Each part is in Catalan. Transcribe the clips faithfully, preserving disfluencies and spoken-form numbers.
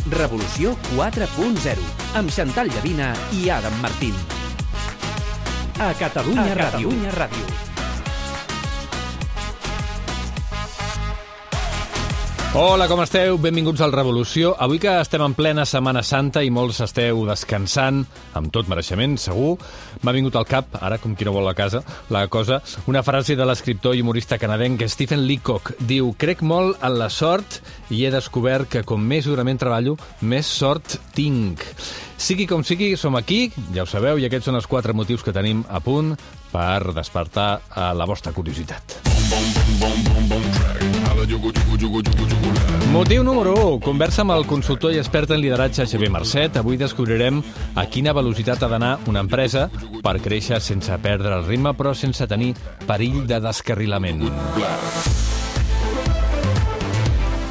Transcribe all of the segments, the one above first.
Revolució quatre punt zero, amb Xantal Llavina i Adam Martín. A Catalunya Ràdio. Catalunya Ràdio. Hola, com esteu? Benvinguts al Revolució. Avui que estem en plena Setmana Santa i molts esteu descansant, amb tot mereixement, segur, m'ha vingut al cap, ara com qui no vol la casa, la cosa, una frase de l'escriptor i humorista canadenc Stephen Leacock. Diu: crec molt en la sort i he descobert que com més durament treballo, més sort tinc. Sigui com sigui, som aquí, ja ho sabeu, i aquests són els quatre motius que tenim a punt per despertar a la vostra curiositat. Motiu número u. Conversa amb el consultor i expert en lideratge Xavier Marcet. Avui descobrirem a quina velocitat ha d'anar una empresa per créixer sense perdre el ritme, però sense tenir perill de descarrilament.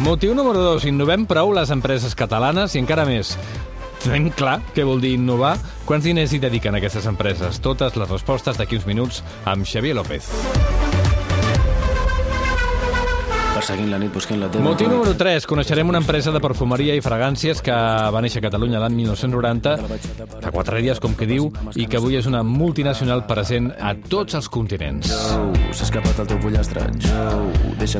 Motiu número dos. Innovem prou les empreses catalanes i encara més. Tenim clar què vol dir innovar? Quants diners hi dediquen aquestes empreses? Totes les respostes d'aquí uns minuts amb Xavier López. La nit, la Motiu número tres. Coneixerem una empresa de perfumeria i fragàncies que va néixer a Catalunya l'any mil nou-cents noranta, fa quatre dies, com que diu, i que avui és una multinacional present a tots els continents.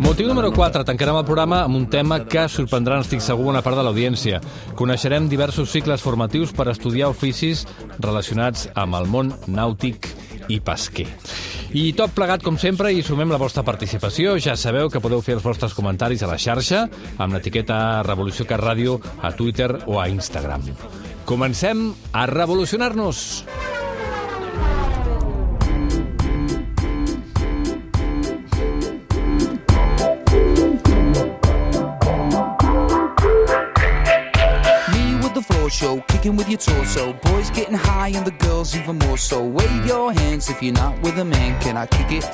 Motiu número quatre. Tancarem el programa amb un tema que sorprendrà, estic segur, una part de l'audiència. Coneixerem diversos cicles formatius per estudiar oficis relacionats amb el món nàutic i pesquer. I tot plegat, com sempre, i sumem la vostra participació. Ja sabeu que podeu fer els vostres comentaris a la xarxa amb l'etiqueta Revolució Cat Ràdio a Twitter o a Instagram. Comencem a revolucionar-nos! Show, kicking with your torso. Boys getting high and the girls even more so. Wave your hands if you're not with a man. Can I kick it?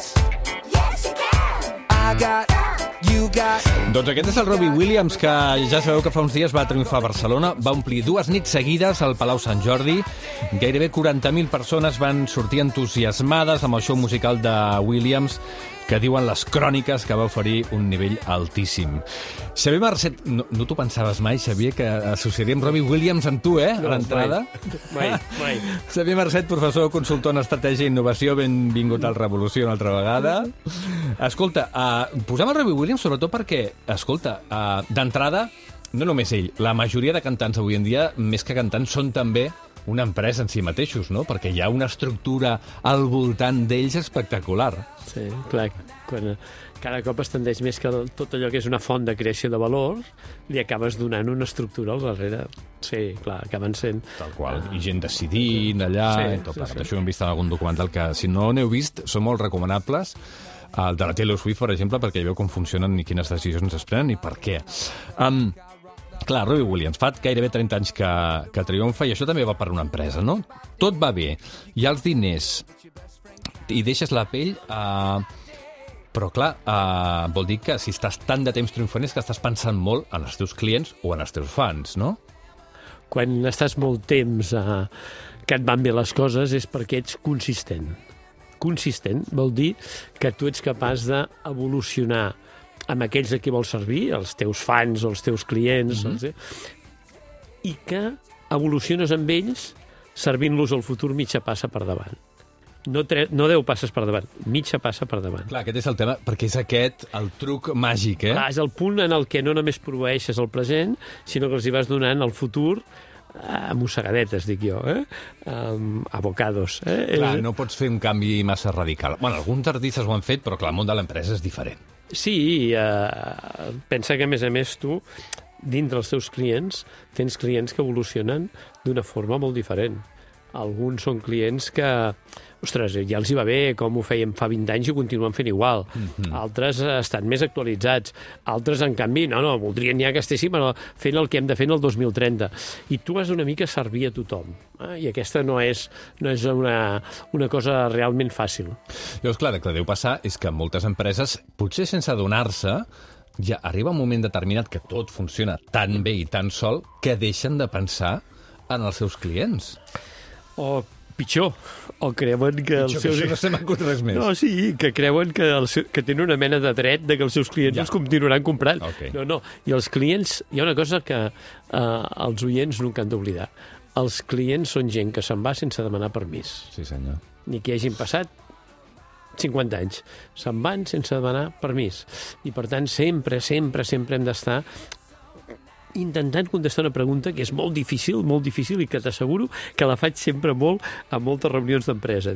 Yes, you can! I got... You got... Doncs aquest és el Robbie Williams, que ja sabeu que fa uns dies va triomfar a Barcelona, va omplir dues nits seguides al Palau Sant Jordi. Gairebé quaranta mil persones van sortir entusiasmades amb el show musical de Williams, que diuen les cròniques que va oferir un nivell altíssim. Xavier Marcet, no, no t'ho pensaves mai, Xavier, que associaríem Robbie Williams amb tu, eh, a l'entrada? Mai, mai. Xavier Marcet, professor, consultor en estratègia i innovació, benvingut al Revolució una altra vegada. Escolta, uh, posem el Robbie Williams sobretot perquè, escolta, uh, d'entrada, no només ell, la majoria de cantants avui en dia, més que cantants, són també una empresa en si mateixos, no? Perquè hi ha una estructura al voltant d'ells espectacular. Sí, clar, quan cada cop es tendeix més que tot allò que és una font de creació de valor, li acabes donant una estructura al darrere. Sí, clar, acaben sent... Tal qual, i gent decidint allà, sí, i tot sí, plegat. sí. Això ho hem vist en algun documental que, si no n'heu vist, són molt recomanables. El de la Taylor Swift, per exemple, perquè hi veu com funcionen i quines decisions es prenen i per què. Um, Clar, Robbie Williams, fa gairebé trenta anys que, que triomfa, i això també va per una empresa, no? Tot va bé, hi ha els diners, i deixes la pell, eh, però clar, eh, vol dir que si estàs tant de temps triomfant és que estàs pensant molt en els teus clients o en els teus fans, no? Quan estàs molt temps eh, que et van bé les coses és perquè ets consistent. Consistent vol dir que tu ets capaç d'evolucionar amb aquells a qui vols servir, els teus fans o els teus clients, mm-hmm. els... i que evoluciones amb ells servint-los al futur mitja passa per davant. No, tre... no deu passes per davant, mitja passa per davant. Clar, aquest és el tema, perquè és aquest el truc màgic, eh? Clar, és el punt en el que no només proveeixes el present, sinó que els hi vas donant el futur a mossegadetes, dic jo, eh? Um, a bocados. Eh? Clar, no pots fer un canvi massa radical. Bueno, alguns artistes ho han fet, però clar, el món de l'empresa és diferent. Sí, eh, pensa que, a més a més, tu, dintre els teus clients, tens clients que evolucionen d'una forma molt diferent. Alguns són clients que, ostres, ja els hi va bé, com ho fèiem fa vint anys i ho continuen fent igual. Mm-hmm. Altres estan més actualitzats. Altres, en canvi, no, no, voldrien ja que estéssim fent el que hem de fer en el dos mil trenta. I tu has una mica servir a tothom. Eh? I aquesta no és, no és una, una cosa realment fàcil. Llavors, clar, el que deu passar és que moltes empreses, potser sense adonar-se, ja arriba un moment determinat que tot funciona tan bé i tan sol que deixen de pensar en els seus clients. O pitjor, o creuen que els Pitjor que seus... això no se m'acut res més. No, sí, que creuen que, el seu, que tenen una mena de dret de que els seus clients Ja. els continuaran comprant. Ok. No, no, i els clients... Hi ha una cosa que eh, els oients nunca han d'oblidar. Els clients són gent que se'n va sense demanar permís. Sí, senyor. Ni que hagin passat cinquanta anys. Se'n van sense demanar permís. I, per tant, sempre, sempre, sempre hem d'estar intentant contestar una pregunta que és molt difícil, molt difícil, i que t'asseguro que la faig sempre molt a moltes reunions d'empresa.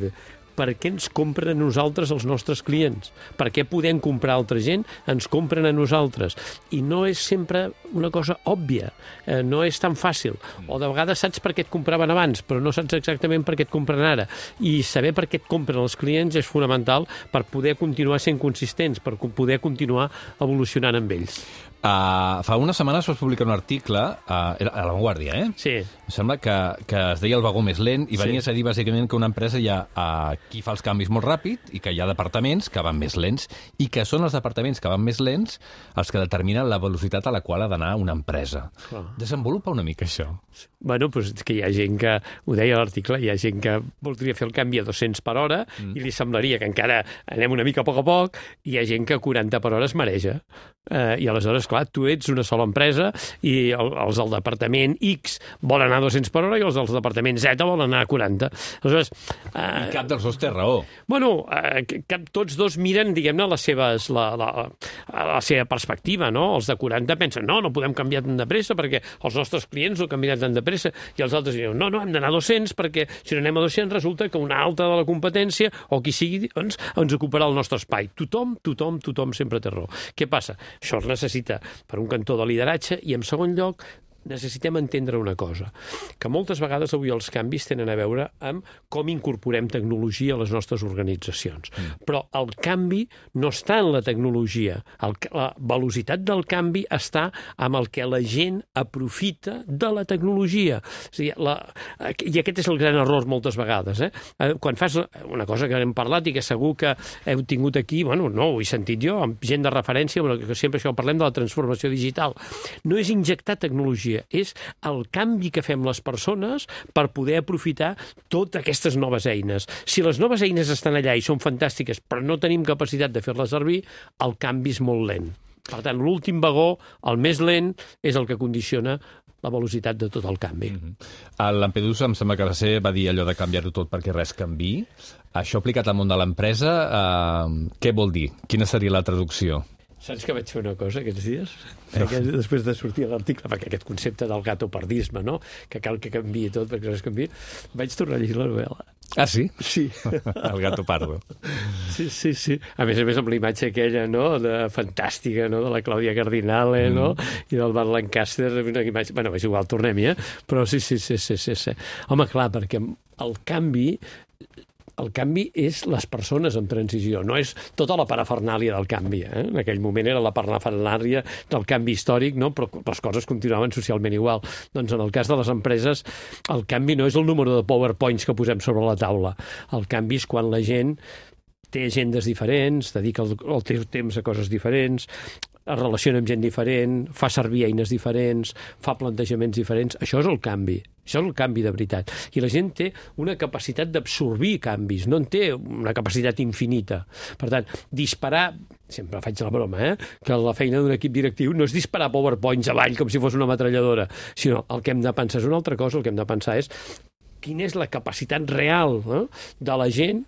Per què ens compren a nosaltres els nostres clients? Per què podem comprar a altra gent? Ens compren a nosaltres. I no és sempre una cosa òbvia, eh, no és tan fàcil. O de vegades saps per què et compraven abans, però no saps exactament per què et compren ara. I saber per què et compren els clients és fonamental per poder continuar sent consistents, per poder continuar evolucionant amb ells. Uh, fa unes setmanes vas publicar un article uh, a La Vanguardia, eh? Sí. Em sembla que, que es deia El vagó més lent i venies Sí. a dir bàsicament que una empresa hi ha uh, qui fa els canvis molt ràpid i que hi ha departaments que van més lents i que són els departaments que van més lents els que determinen la velocitat a la qual ha d'anar una empresa. Clar. Desenvolupa una mica això. Bueno, doncs és que hi ha gent que, ho deia a l'article, hi ha gent que voldria fer el canvi a dos-cents per hora mm. i li semblaria que encara anem una mica a poc a poc, i hi ha gent que a quaranta per hora es mareja. Eh, I aleshores, clar, tu ets una sola empresa i el, els del departament X volen anar a dos-cents per hora i els del departament Z volen anar a quaranta. Aleshores... Eh, I cap dels dos té raó. Bueno, eh, cap, tots dos miren, diguem-ne, les seves, la, la, la seva perspectiva, no? Els de quaranta pensen, no, no podem canviar tan de pressa perquè els nostres clients no canviaran tan de pressa, i els altres diuen, no, no, hem d'anar a dos-cents perquè si no anem a dos-cents resulta que una altra de la competència o qui sigui doncs, ens ocuparà el nostre espai. Tothom, tothom, tothom sempre té raó. Què passa? Això es necessita per un cantó de lideratge i, en segon lloc, necessitem entendre una cosa, que moltes vegades avui els canvis tenen a veure amb com incorporem tecnologia a les nostres organitzacions. Mm. Però el canvi no està en la tecnologia. El, la velocitat del canvi està amb el que la gent aprofita de la tecnologia. O sigui, la, I aquest és el gran error moltes vegades. Eh? Quan fas una cosa que hem parlat i que segur que heu tingut aquí, bueno, no ho he sentit jo, amb gent de referència, però que sempre això parlem de la transformació digital. No és injectar tecnologia, és el canvi que fem les persones per poder aprofitar totes aquestes noves eines. Si les noves eines estan allà i són fantàstiques, però no tenim capacitat de fer-les servir, el canvi és molt lent. Per tant, l'últim vagó, el més lent, és el que condiciona la velocitat de tot el canvi. Mm-hmm. El Lampedusa em sembla que va ser, va dir allò de canviar-ho tot perquè res canviï. Això aplicat al món de l'empresa, eh, què vol dir? Quina seria la traducció? Saps que vaig fer una cosa aquests dies? Aquest, després de sortir a l'article, perquè aquest concepte del gatopardisme, no? Que cal que canviï tot perquè res canviï, vaig tornar a llegir la novel·la. Ah, sí? Sí. El gato pardo. Sí, sí, sí. A més a més amb la imatge aquella, no?, de fantàstica, no?, de la Clàudia Cardinale, mm. no?, i del Van Lancaster, una imatge... Bueno, és igual, tornem-hi, eh? Però sí, sí, sí, sí, sí, sí. Home, clar, perquè el canvi... El canvi és les persones en transició, no és tota la parafernàlia del canvi. Eh? En aquell moment era la parafernàlia del canvi històric, no? Però les coses continuaven socialment igual. Doncs en el cas de les empreses, el canvi no és el número de PowerPoints que posem sobre la taula. El canvi és quan la gent té agendes diferents, dedica el, el teu temps a coses diferents, es relaciona amb gent diferent, fa servir eines diferents, fa plantejaments diferents. Això és el canvi. Això és el canvi de veritat. I la gent té una capacitat d'absorbir canvis, no en té una capacitat infinita. Per tant, disparar... Sempre faig la broma, eh? Que la feina d'un equip directiu no és disparar PowerPoints avall com si fos una metralladora, sinó el que hem de pensar és una altra cosa, el que hem de pensar és quina és la capacitat real eh, de la gent,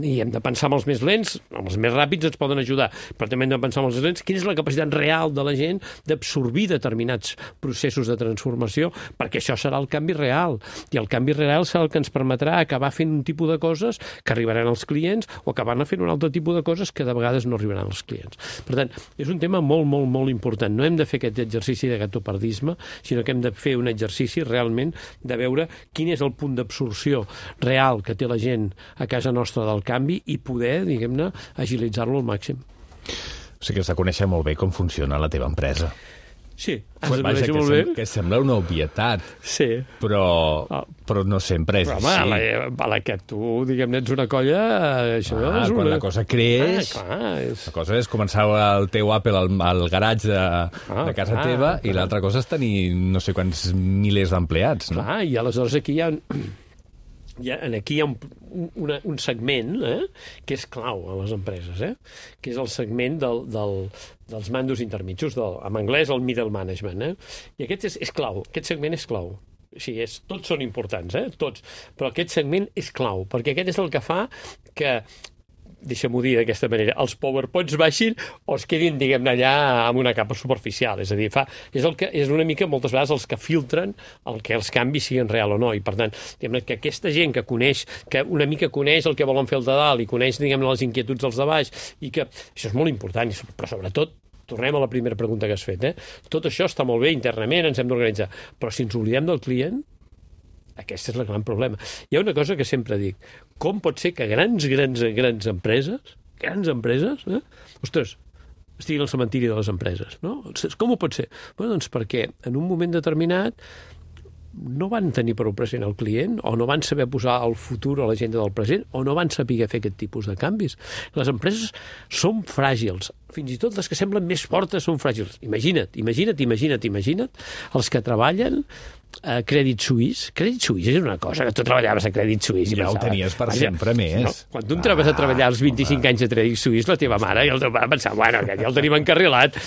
i hem de pensar amb els més lents, amb els més ràpids ens poden ajudar, però també hem de pensar amb els més lents, quina és la capacitat real de la gent d'absorbir determinats processos de transformació, perquè això serà el canvi real, i el canvi real serà el que ens permetrà acabar fent un tipus de coses que arribaran als clients o acabar fent un altre tipus de coses que de vegades no arribaran als clients. Per tant, és un tema molt, molt, molt important. No hem de fer aquest exercici de gatopardisme, sinó que hem de fer un exercici realment de veure quin és el punt d'absorció real que té la gent a casa nostra del canvi i poder, diguem-ne, agilitzar-lo al màxim. O sigui que has de conèixer molt bé com funciona la teva empresa. Sí, has de Vaja, conèixer que molt bé. sem que sembla una obvietat, Sí. però, Ah. però no sempre és Però, així. home, a la, a la que tu, diguem-ne, ets una colla, això Ah, és una... quan la cosa creix, Ah, clar, és... la cosa és començar el teu Apple al, al garatge de, Ah, de casa clar, teva i clar. l'altra cosa és tenir no sé quants milers d'empleats, no? Clar, i aleshores aquí hi ha... ja, aquí hi ha un, un, un segment eh, que és clau a les empreses, eh, que és el segment del, del, dels mandos intermitjos, del, en anglès el middle management. Eh? I aquest és, és clau, aquest segment és clau. Sí, és, tots són importants, eh? Tots. Però aquest segment és clau, perquè aquest és el que fa que, deixa'm-ho dir d'aquesta manera, els PowerPoints baixin o es quedin, diguem-ne, allà amb una capa superficial. És a dir, fa, és, el que, és una mica, moltes vegades, els que filtren el que els canvis siguin real o no. I, per tant, diguem-ne, que aquesta gent que coneix, que una mica coneix el que volen fer el de dalt i coneix, diguem-ne, les inquietuds dels de baix, i que això és molt important, però sobretot, tornem a la primera pregunta que has fet, eh? Tot això està molt bé internament, ens hem d'organitzar, però si ens oblidem del client, aquest és el gran problema. Hi ha una cosa que sempre dic. Com pot ser que grans, grans, grans empreses, grans empreses, eh? Ostres, estiguin al cementiri de les empreses, no? Com ho pot ser? Bé, doncs perquè en un moment determinat no van tenir prou present el client, o no van saber posar el futur a l'agenda del present, o no van saber fer aquest tipus de canvis. Les empreses són fràgils. Fins i tot les que semblen més fortes són fràgils. Imagina't, imagina't, imagina't, imagina't els que treballen a Credit Suisse. Credit Suisse és una cosa que tu treballaves a Credit Suisse. Ja ho tenies per sempre més. No, quan tu entraves a treballar als vint-i-cinc anys a Credit Suisse, la teva mare i el teu pare pensaven, bueno, que ja el tenim encarrilat.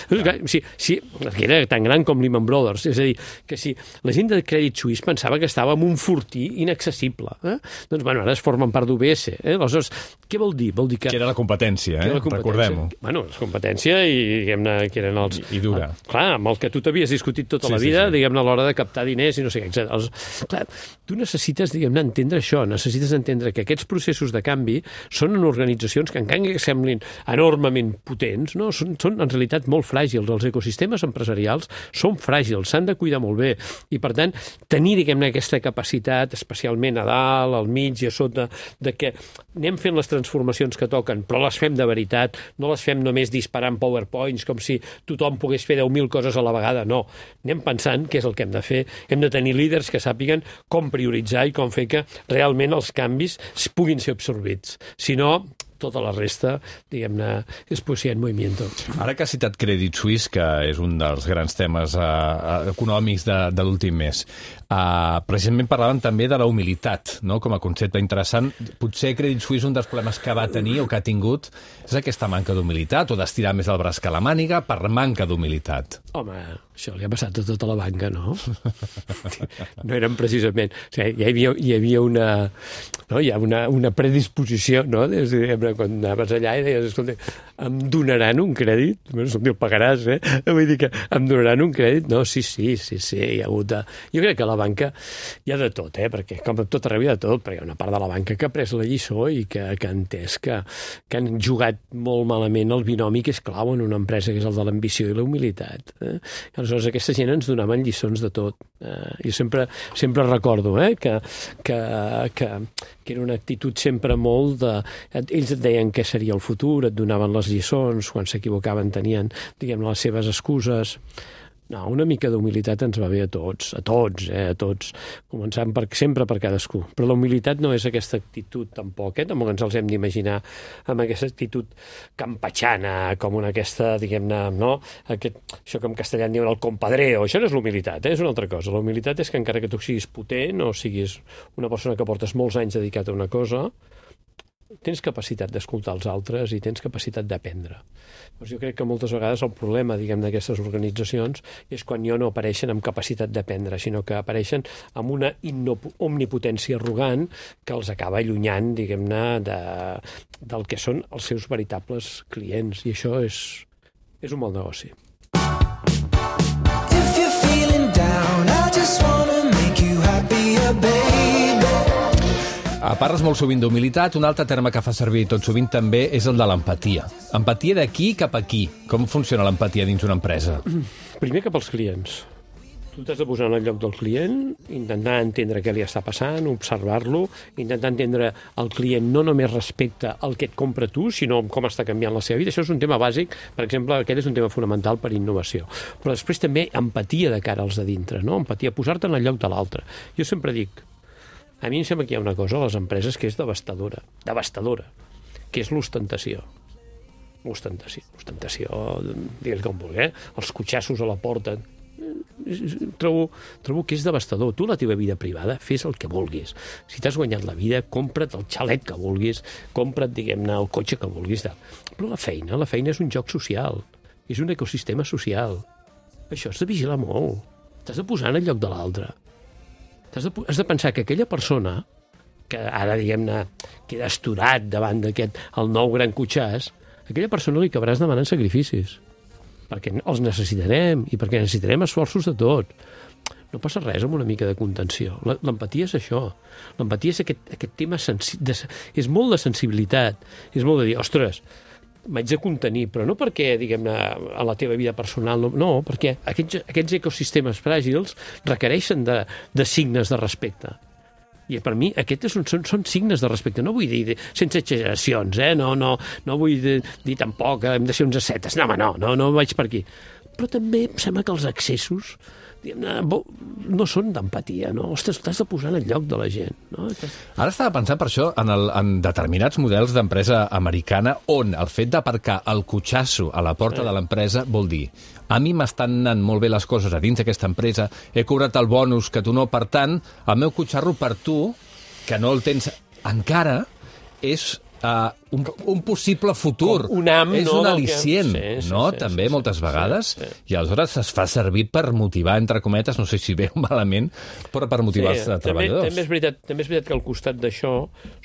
Sí, sí, que era tan gran com Lehman Brothers. És a dir, que si la gent de Credit Suisse pensava que estava en un fortí inaccessible, eh? Doncs, bueno, ara es formen part d'U B S. Eh? Aleshores, què vol dir? Vol dir que... Que era la competència, eh? Recordem-ho. Bueno, la competència i, diguem-ne, que eren els... I, i dura. El, clar, amb el que tu t'havies discutit tota sí, la vida, sí, sí. diguem-ne, a l'hora de captar diners i no sé què, etcètera. Els, clar, tu necessites, diguem-ne, entendre això, necessites entendre que aquests processos de canvi són en organitzacions que, encara que semblin enormement potents, no? són, són en realitat molt fràgils. Els ecosistemes empresarials són fràgils, s'han de cuidar molt bé. I, per tant, tenir, diguem-ne, aquesta capacitat, especialment a dalt, al mig i a sota, de que anem fent les transformacions que toquen, però les fem de veritat, no les fem només disparant PowerPoints com si tothom pogués fer deu mil coses a la vegada, no. Anem pensant què és el que hem de fer. Hem de tenir líders que sàpiguen com prioritzar i com fer que realment els canvis puguin ser absorbits. Si no, tota la resta, diguem-ne, és poesia en movimiento. Ara que has citat Credit Suisse, que és un dels grans temes uh, econòmics de, de l'últim mes, uh, precisament parlaven també de la humilitat, no?, com a concepte interessant. Potser Credit Suisse, un dels problemes que va tenir o que ha tingut, és aquesta manca d'humilitat, o d'estirar més el braç que la màniga per manca d'humilitat. Home, això li ha passat a tota la banca, no? No eren precisament... O sigui, hi havia, hi havia una, no? hi ha una, una predisposició, no?, des de, quan anaves allà i deies, escolta, em donaran un crèdit? Bueno, el pagaràs, eh? Vull dir que em donaran un crèdit? No, sí, sí, sí, sí, hi ha hagut de... Jo crec que a la banca hi ha de tot, eh? Perquè com a tot arreu hi ha de tot, perquè hi ha una part de la banca que ha pres la lliçó i que, que ha entès que, que han jugat molt malament el binomi que és clau en una empresa, que és el de l'ambició i la humilitat. Eh? I aleshores aquesta gent ens donaven lliçons de tot. Eh? Jo sempre, sempre recordo eh? que, que, que, que era una actitud sempre molt de... Ells et deien què seria el futur, et donaven les lliçons, quan s'equivocaven tenien, diguem, les seves excuses. No, una mica d'humilitat ens va bé a tots, a tots, eh, a tots, començant per, sempre per cadascú. Però la humilitat no és aquesta actitud tampoc, eh? Tampoc ens els hem d'imaginar amb aquesta actitud campatxana, com una aquesta, diguem-ne, no? Aquest, això que en castellà en diuen el compadreo, això no és l'humilitat, eh? És una altra cosa. La humilitat és que encara que tu siguis potent o siguis una persona que portes molts anys dedicat a una cosa, tens capacitat d'escoltar els altres i tens capacitat d'aprendre. Doncs jo crec que moltes vegades el problema, diguem, d'aquestes organitzacions és quan ja no apareixen amb capacitat d'aprendre, sinó que apareixen amb una omnipotència arrogant que els acaba allunyant, diguem-ne, de, del que són els seus veritables clients. I això és, és un mal negoci. If you're feeling down, I just wanna make you happier, baby. Parles molt sovint d'humilitat. Un altre terme que fa servir tot sovint també és el de l'empatia. Empatia d'aquí cap aquí. Com funciona l'empatia dins una empresa? Primer cap als clients. Tu t'has de posar en el lloc del client, intentar entendre què li està passant, observar-lo, intentar entendre el client no només respecte al que et compra tu, sinó com està canviant la seva vida. Això és un tema bàsic, per exemple, aquest és un tema fonamental per innovació. Però després també empatia de cara als de dintre, no? Empatia, posar-te en el lloc de l'altre. Jo sempre dic, a mi em sembla que hi ha una cosa a les empreses que és devastadora, devastadora, que és l'ostentació. L'ostentació, l'ostentació, digues com vulgui, eh? Els cotxassos a la porta. trobo, trobo que és devastador. Tu, la teva vida privada, fes el que vulguis. Si t'has guanyat la vida, compra't el xalet que vulguis, compra't, diguem-ne, el cotxe que vulguis. Però la feina, la feina és un joc social. És un ecosistema social. Això has de vigilar molt. T'has de posar en el lloc de l'altre. Has de, has de pensar que aquella persona que ara, diguem-ne, queda estorat davant d'aquest, el nou gran cotxàs, aquella persona li acabaràs demanant sacrificis, perquè els necessitarem i perquè necessitarem esforços de tot. No passa res amb una mica de contenció. L'empatia és això. L'empatia és aquest, aquest tema sensi de, és molt de sensibilitat. És molt de dir, ostres, m'haig de contenir, però no perquè, diguem-ne, a la teva vida personal, no, no perquè aquests, aquests ecosistemes fràgils requereixen de, de signes de respecte. I per mi aquests són, són, són signes de respecte. No vull dir sense exageracions, eh? no, no, no vull dir, dir tampoc que hem de ser uns ascetes. No, home, no, no, no vaig per aquí. Però també em sembla que els excessos no són d'empatia, no? Ostres, t'has de posar en el lloc de la gent, no? Ara estava pensant per això en, el, en determinats models d'empresa americana on el fet d'aparcar el cotxasso a la porta eh. de l'empresa vol dir a mi m'estan anant molt bé les coses a dins d'aquesta empresa, he cobrat el bonus que tu no, per tant, el meu cotxarro per tu, que no el tens encara, és uh, un, un possible futur. Com un am, és no, un al·licient, que... sí, sí, no? Sí, també sí, moltes sí, vegades, sí, sí. I aleshores es fa servir per motivar, entre cometes, no sé si bé o malament, però per motivar sí, els també, treballadors. També és, veritat, també és veritat que al costat d'això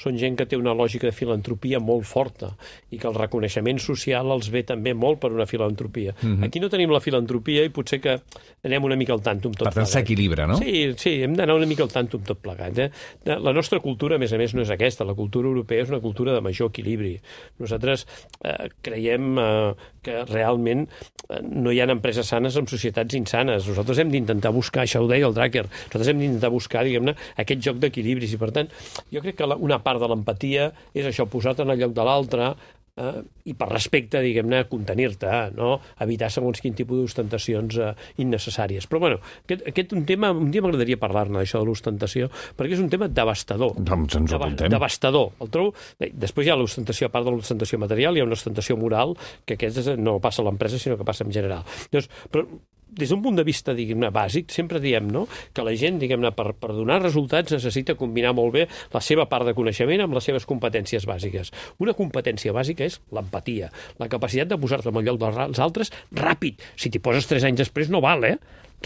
són gent que té una lògica de filantropia molt forta i que el reconeixement social els ve també molt per una filantropia. Mm-hmm. Aquí no tenim la filantropia i potser que anem una mica al tanto amb tot plegat. Per tant, s'equilibra, no? Sí, sí, hem d'anar una mica al tanto amb tot plegat. Eh? La nostra cultura, a més a més, no és aquesta. La cultura europea és una cultura de major equilibri. Nosaltres eh, creiem eh, que realment eh, no hi ha empreses sanes en societats insanes. Nosaltres hem d'intentar buscar, això ho deia el Drucker, nosaltres hem d'intentar buscar, diguem-ne, aquest joc d'equilibris. I, per tant, jo crec que la, una part de l'empatia és això, posar-te en el lloc de l'altre, eh, i per respecte, diguem-ne, contenir-te, no? Evitar segons quin tipus d'ostentacions eh, innecessàries. Però, bueno, aquest, aquest un tema, un dia m'agradaria parlar-ne, això de l'ostentació, perquè és un tema devastador. Doncs ens ho apuntem. Devastador. El trobo... Després hi ha l'ostentació, a part de l'ostentació material, hi ha una ostentació moral, que aquesta no passa a l'empresa, sinó que passa en general. Llavors, però des d'un punt de vista, diguem-ne, bàsic, sempre diem, no?, que la gent, diguem-ne, per, per donar resultats necessita combinar molt bé la seva part de coneixement amb les seves competències bàsiques. Una competència bàsica és l'empatia, la capacitat de posar-te en el lloc dels altres ràpid. Si t'hi poses tres anys després no val, eh?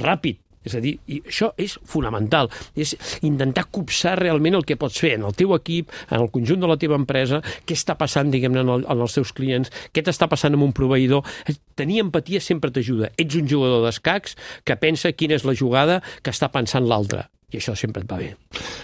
Ràpid. És a dir, i això és fonamental, és intentar copsar realment el que pots fer en el teu equip, en el conjunt de la teva empresa, què està passant, diguem-ne, en, el, en els teus clients, què t'està passant amb un proveïdor. Tenir empatia sempre t'ajuda. Ets un jugador d'escacs que pensa quina és la jugada que està pensant l'altre. I això sempre et va bé.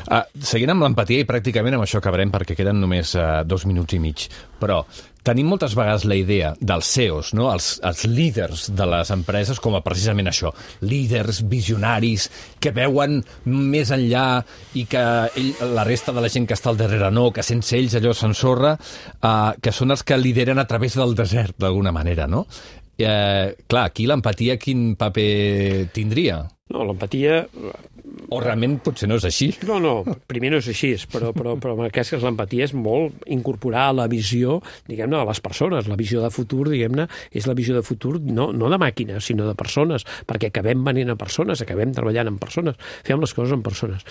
Uh, seguint amb l'empatia, i pràcticament amb això acabarem perquè queden només uh, dos minuts i mig, però tenim moltes vegades la idea dels C E Os, no? els, els líders de les empreses, com a precisament això, líders, visionaris, que veuen més enllà i que ell, la resta de la gent que està al darrere no, que sense ells allò s'ensorra, uh, que són els que lideren a través del desert, d'alguna manera, no? Uh, clar, aquí l'empatia quin paper tindria? No, l'empatia... O realment potser no és així? No, no, primer no és així, però, però, però en el cas que l'empatia és molt incorporar la visió, diguem-ne, de les persones. La visió de futur, diguem-ne, és la visió de futur no, no de màquines, sinó de persones, perquè acabem venint a persones, acabem treballant amb persones, fem les coses amb persones.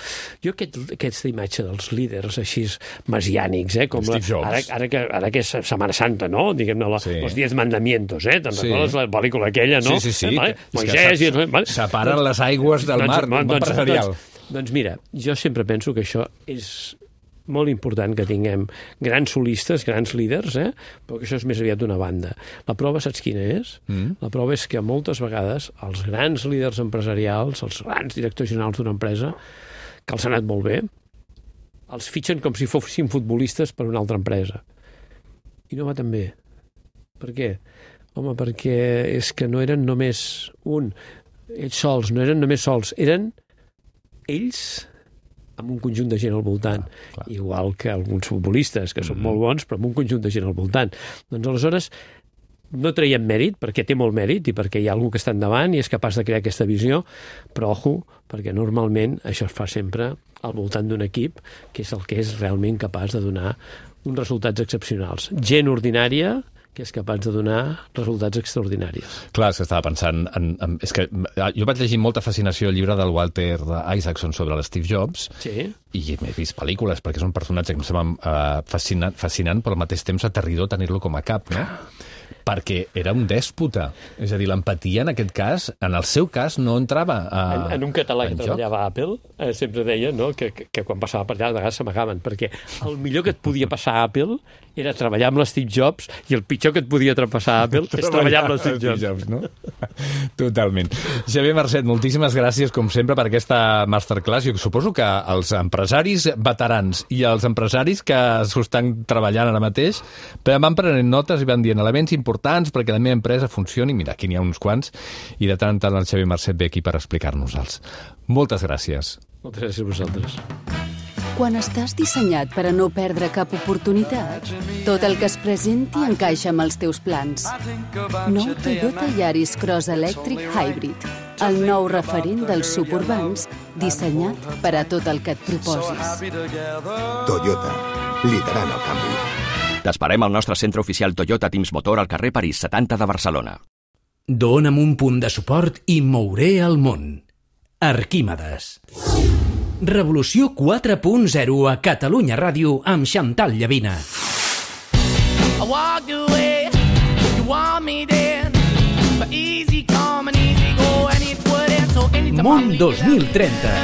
Jo aquest, aquesta imatge dels líders així mesiànics, eh, com la, ara, ara, que, ara que és Setmana Santa, no? Diguem-ne, la, sí. Els diez mandamientos, eh? Te'n sí. recordes la pel·lícula aquella, no? Sí, sí, sí. Eh, vale? Moisès... I... Vale? Separen doncs, les aigües del mar, doncs, doncs, empresarial. Doncs, doncs mira, jo sempre penso que això és molt important que tinguem grans solistes, grans líders, eh? Però que això és més aviat d'una banda. La prova saps quina és? Mm. La prova és que moltes vegades els grans líders empresarials, els grans directors generals d'una empresa, que els ha anat molt bé, els fitxen com si fossin futbolistes per una altra empresa. I no va tan bé. Per què? Home, perquè és que no eren només un, ells sols, no eren només sols, eren ells amb un conjunt de gent al voltant, ah, clar. Igual que alguns futbolistes, que mm-hmm. són molt bons, però amb un conjunt de gent al voltant. Doncs aleshores no traiem mèrit, perquè té molt mèrit i perquè hi ha algú que està endavant i és capaç de crear aquesta visió, però ojo, perquè normalment això es fa sempre al voltant d'un equip que és el que és realment capaç de donar uns resultats excepcionals. Gent ordinària que és capaç de donar resultats extraordinaris. Clar, és que estava pensant... En, en, és que jo vaig llegir molta fascinació el llibre del Walter Isaacson sobre l'Steve Jobs, Sí? i m'he vist pel·lícules, perquè és un personatge que em sembla uh, fascinant, fascinant, però al mateix temps aterridor tenir-lo com a cap, no? Perquè era un dèspota. És a dir, l'empatia en aquest cas, en el seu cas, no entrava a, En, en un català que en joc. treballava a Apple, eh, sempre deia, no?, que, que, que quan passava per allà de vegades s'amagaven, perquè el millor que et podia passar a Apple era treballar amb l'Steve Jobs, i el pitjor que et podia passar a Apple és treballar amb l'Steve Jobs. Jobs, no? Totalment. Xavier Marcet, moltíssimes gràcies, com sempre, per aquesta masterclass. Jo suposo que els empresaris veterans i els empresaris que s'ho estan treballant ara mateix van prenent notes i van dient elements importants perquè la meva empresa funcioni. Mira, aquí n'hi ha uns quants, i de tant en tant el Xavier Marcet ve aquí per explicar-nos-els. Moltes gràcies. Moltes gràcies a vosaltres. Quan estàs dissenyat per a no perdre cap oportunitat, tot el que es presenti encaixa amb els teus plans. Nou Toyota Yaris Cross Electric Hybrid, el nou referent dels suburbans, dissenyat per a tot el que et proposis. Toyota, liderant el canvi. T'esperem al nostre centre oficial Toyota Teams Motor al carrer París setanta de Barcelona. Dóna'm un punt de suport i mouré el món. Arquímedes. Revolució quatre punt zero a Catalunya Ràdio amb Xantal Llavina. I walked away, you want me then, but easy come and easy go, and it wouldn't, so anytime Món dos mil trenta.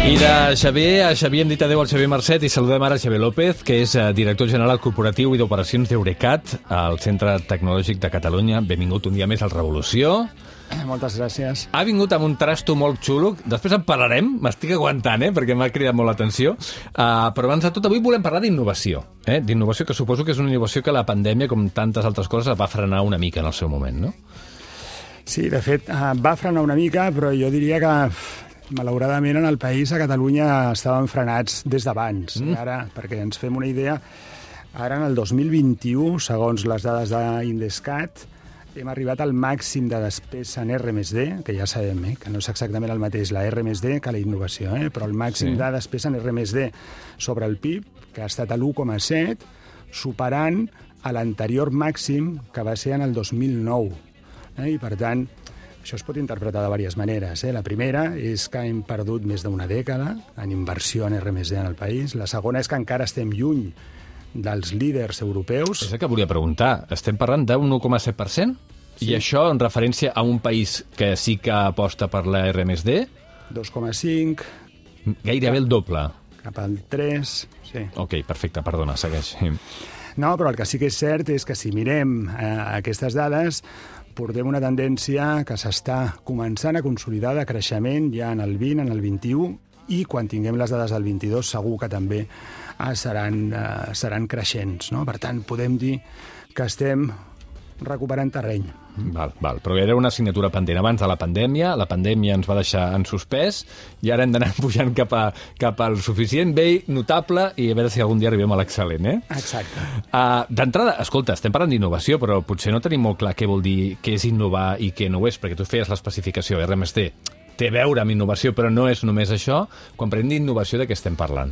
I de Xavier a Xavier hem dit adéu al Xavier Marcet i saludem ara Xavier López, que és director general corporatiu i d'operacions d'Eurecat al Centre Tecnològic de Catalunya. Benvingut un dia més al Revolució. Moltes gràcies. Ha vingut amb un trasto molt xulo. Després en parlarem, m'estic aguantant, eh, perquè m'ha cridat molt l'atenció. Uh, però abans de tot, avui volem parlar d'innovació. Eh? D'innovació, que suposo que és una innovació que la pandèmia, com tantes altres coses, va frenar una mica en el seu moment, no? Sí, de fet, uh, va frenar una mica, però jo diria que, malauradament, en el país, a Catalunya, estàvem frenats des d'abans. Mm. Ara, perquè ens fem una idea, ara en el dos mil vint-i-u, segons les dades d'Indescat, hem arribat al màxim de despesa en R més D, que ja sabem eh, que no és exactament el mateix la R més D que la innovació, eh, però el màxim sí. de despesa en R més D sobre el P I B, que ha estat a l'u coma set, superant a l'anterior màxim que va ser en el dos mil nou. Eh, I, per tant, això es pot interpretar de diverses maneres. Eh? La primera és que hem perdut més d'una dècada en inversió en R més D en el país. La segona és que encara estem lluny dels líders europeus. És el que volia preguntar. Estem parlant d'un un coma set per cent? Sí. I això en referència a un país que sí que aposta per la R més D? dos coma cinc. Gairebé el doble. Cap al tres, sí. Ok, perfecte, perdona, segueix. No, però el que sí que és cert és que si mirem eh, aquestes dades, portem una tendència que s'està començant a consolidar de creixement ja en el vint, en el vint-i-u, i quan tinguem les dades del vint-i-dos segur que també eh, seran, eh, seran creixents. No? Per tant, podem dir que estem recuperant terreny. Val, val. Però era una assignatura pendent abans de la pandèmia, la pandèmia ens va deixar en suspès i ara hem d'anar pujant cap, a, cap al suficient, bé, notable, i a veure si algun dia arribem a l'excel·lent, eh? Exacte. Uh, D'entrada, escolta, estem parlant d'innovació, però potser no tenim molt clar què vol dir, què és innovar i què no ho és, perquè tu feies l'especificació, R més D té a veure amb innovació, però no és només això. Quan parlem d'innovació, de què estem parlant?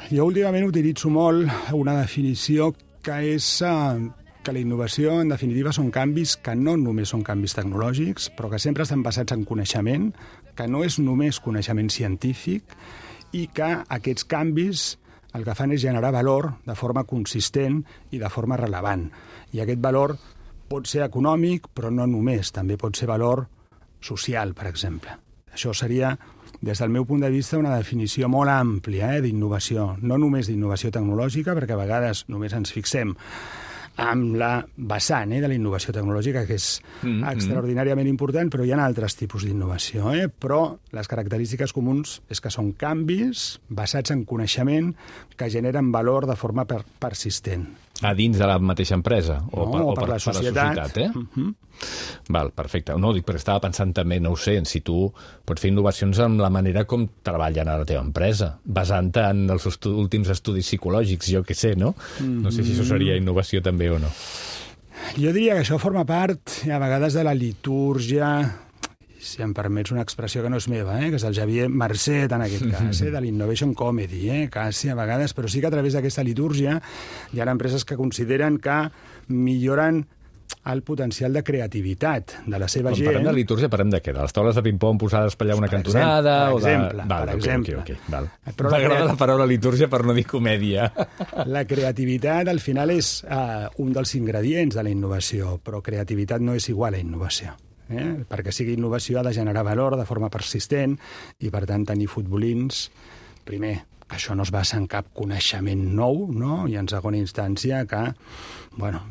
Jo últimament utilitzo molt una definició que és uh, que la innovació, en definitiva, són canvis que no només són canvis tecnològics, però que sempre estan basats en coneixement, que no és només coneixement científic i que aquests canvis el que fan és generar valor de forma consistent i de forma rellevant. I aquest valor pot ser econòmic, però no només, també pot ser valor social, per exemple. Això seria, des del meu punt de vista, una definició molt àmplia eh, d'innovació, no només d'innovació tecnològica, perquè a vegades només ens fixem amb la vessant eh, de la innovació tecnològica, que és mm, extraordinàriament mm. important, però hi ha altres tipus d'innovació. Eh? Però les característiques comuns és que són canvis basats en coneixement que generen valor de forma per persistent. A dins de la mateixa empresa? O, no, per, o per, per la societat. Per la societat eh? Uh-huh. Val, perfecte. No, dic, perquè estava pensant també, no ho sé, en si tu pots fer innovacions amb la manera com treballen a la teva empresa, basant-te en els estu últims estudis psicològics, jo què sé, no? Mm-hmm. No sé si això seria innovació també o no. Jo diria que això forma part, a vegades, de la litúrgia si em permets una expressió que no és meva, eh? que és el Xavier Marcet, en aquest cas, eh? de l'Innovation Comedy, eh? quasi a vegades, però sí que a través d'aquesta litúrgia hi ha empreses que consideren que milloren el potencial de creativitat de la seva Quan gent. Quan parlem de litúrgia, parlem de què? De les taules de ping-pong posades per allà una per cantonada? Exemple, per o de... exemple. Val, per okay, exemple. Okay, okay, val. M'agrada la paraula litúrgia per no dir comèdia. La creativitat, al final, és uh, un dels ingredients de la innovació, però creativitat no és igual a innovació. Eh? Perquè sigui innovació ha de generar valor de forma persistent i, per tant, tenir futbolins, primer, que això no es basa en cap coneixement nou, no? I en segona instància que, bueno,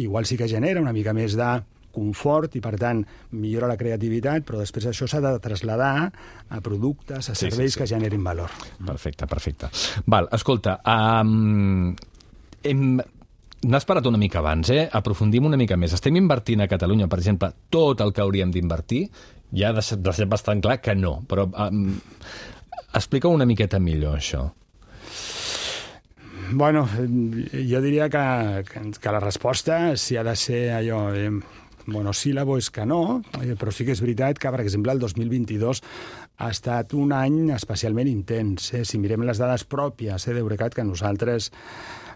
igual sí que genera una mica més de confort i, per tant, millora la creativitat, però després això s'ha de traslladar a productes, a serveis sí, sí, sí. que generin valor. Perfecte, perfecte. Val, escolta, um, hem... n'has parat una mica abans, eh? Aprofundim una mica més. Estem invertint a Catalunya, per exemple, tot el que hauríem d'invertir? Ja ha deixat bastant clar que no, però um, explica una miqueta millor això. Bueno, jo diria que, que, que la resposta, si ha de ser allò eh, monosíl·labo, és que no, eh, però sí que és veritat que, per exemple, el dos mil vint-i-dos ha estat un any especialment intens. Eh? Si mirem les dades pròpies eh, d'Eurecat, que nosaltres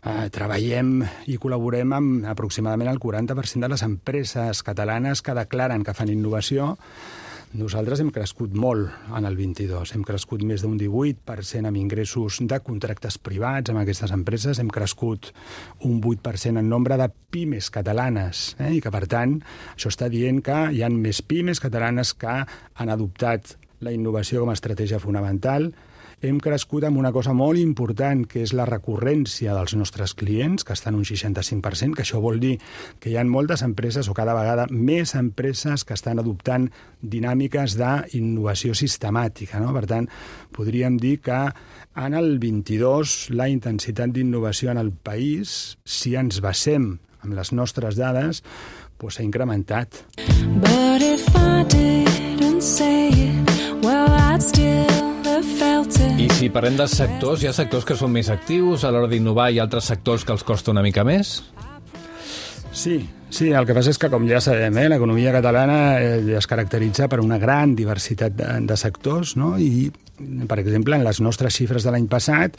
eh, treballem i col·laborem amb aproximadament el quaranta per cent de les empreses catalanes que declaren que fan innovació, nosaltres hem crescut molt en el vint-i-dos. Hem crescut més d'un divuit per cent amb ingressos de contractes privats amb aquestes empreses. Hem crescut un vuit per cent en nombre de pimes catalanes. Eh? I que, per tant, això està dient que hi ha més pimes catalanes que han adoptat la innovació com a estratègia fonamental. Hem crescut amb una cosa molt important, que és la recurrència dels nostres clients, que està en un seixanta-cinc per cent, que això vol dir que hi ha moltes empreses, o cada vegada més empreses, que estan adoptant dinàmiques d'innovació sistemàtica. No? Per tant, podríem dir que en el vint-i-dos la intensitat d'innovació en el país, si ens basem en les nostres dades, doncs s'ha incrementat. But if I didn't say it, well, I'd still I si parlem de sectors, hi ha sectors que són més actius a l'hora d'innovar i altres sectors que els costa una mica més? Sí, sí, el que passa és que, com ja sabem, eh, l'economia catalana eh, es caracteritza per una gran diversitat de, de sectors, no? I, per exemple, en les nostres xifres de l'any passat,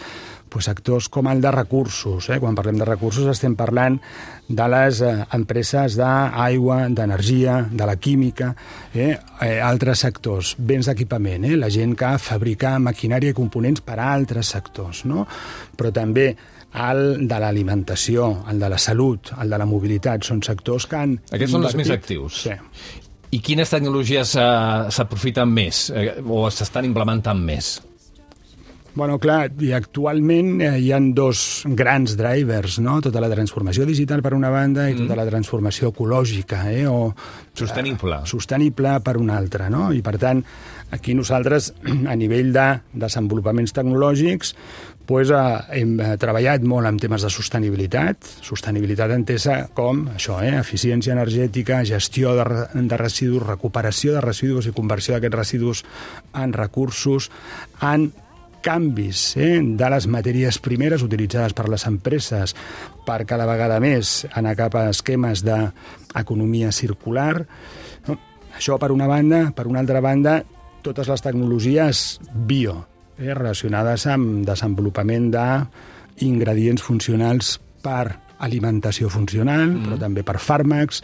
pues, sectors com el de recursos. Eh? Quan parlem de recursos estem parlant de les eh, empreses d'aigua, d'energia, de la química, eh? Eh, altres sectors, béns d'equipament, eh? la gent que fabrica maquinària i components per a altres sectors, no? Però també el de l'alimentació, el de la salut, el de la mobilitat, són sectors que han... Aquests són els més actius. Sí. I quines tecnologies uh, s'aprofiten més eh, o s'estan implementant més? Bueno, clar, i actualment eh, hi ha dos grans drivers, no? Tota la transformació digital per una banda i tota mm. la transformació ecològica, eh? O sostenible. Eh, sostenible per una altra, no? I per tant, aquí nosaltres, a nivell de desenvolupaments tecnològics, pues, eh, hem treballat molt en temes de sostenibilitat, sostenibilitat entesa com això, eh? eficiència energètica, gestió de, de residus, recuperació de residus i conversió d'aquests residus en recursos, en canvis eh, de les matèries primeres utilitzades per les empreses per cada vegada més anar cap a esquemes d'economia circular. No? Això per una banda. Per una altra banda, totes les tecnologies bio, eh, relacionades amb desenvolupament d'ingredients funcionals per alimentació funcional, mm. però també per fàrmacs.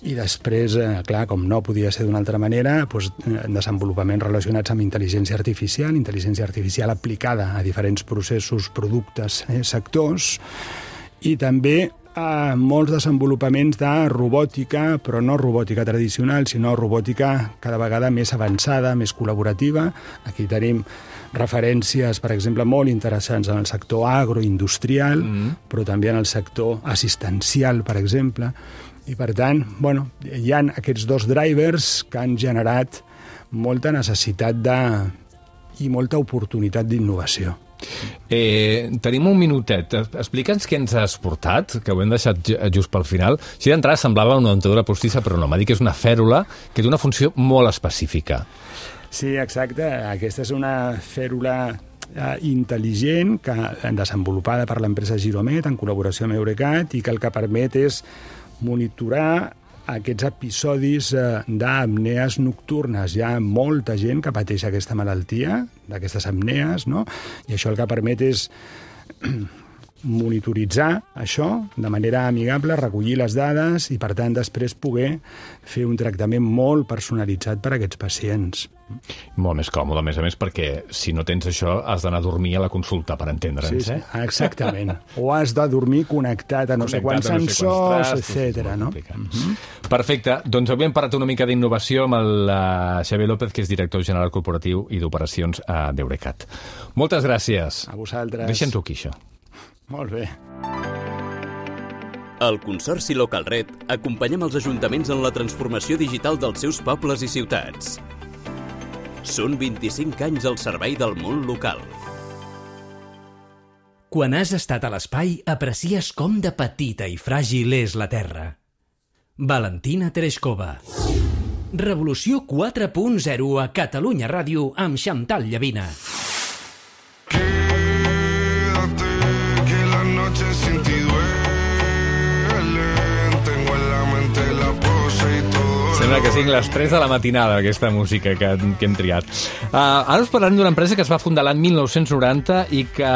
I després, eh, clar, com no podia ser d'una altra manera, doncs, desenvolupaments relacionats amb intel·ligència artificial, intel·ligència artificial aplicada a diferents processos, productes, eh, sectors, i també eh, molts desenvolupaments de robòtica, però no robòtica tradicional, sinó robòtica cada vegada més avançada, més col·laborativa. Aquí tenim referències, per exemple, molt interessants en el sector agroindustrial, mm. però també en el sector assistencial, per exemple. I, per tant, bueno, hi ha aquests dos drivers que han generat molta necessitat de... i molta oportunitat d'innovació. Eh, tenim un minutet. Explica'ns què ens has portat, que ho hem deixat just pel final. Si d'entrada semblava una dentadura postissa, però no, m'ha dit que és una fèrula que té una funció molt específica. Sí, exacte. Aquesta és una fèrula eh, intel·ligent que, desenvolupada per l'empresa Giromet en col·laboració amb Eurecat i que el que permet és monitorar aquests episodis eh, d'apnees nocturnes. Hi ha molta gent que pateix aquesta malaltia, d'aquestes apnees, no? I això el que permet és monitoritzar això de manera amigable, recollir les dades i, per tant, després poder fer un tractament molt personalitzat per a aquests pacients. Molt més còmode, a més a més, perquè si no tens això has d'anar a dormir a la consulta, per entendre'ns, sí, sí, eh? exactament. O has de dormir connectat a no sé quants sensors, etcètera, no? Mm-hmm. Perfecte. Doncs avui hem parlat una mica d'innovació amb el uh, Xavier López, que és director general corporatiu i d'operacions a d'Eurecat. Moltes gràcies. A vosaltres. Deixa'ns-ho aquí, això. Molt bé. Al Consorci Localred acompanyem els ajuntaments en la transformació digital dels seus pobles i ciutats. Són vint-i-cinc anys al servei del món local. Quan has estat a l'espai, aprecies com de petita i fràgil és la Terra. Valentina Tereshkova. Revolució quatre punt zero a Catalunya Ràdio amb Xantal Llavina. Sembla que siguin les tres de la matinada, aquesta música que, que hem triat. Uh, ara us parlarem d'una empresa que es va fundar l'any mil nou-cents noranta i que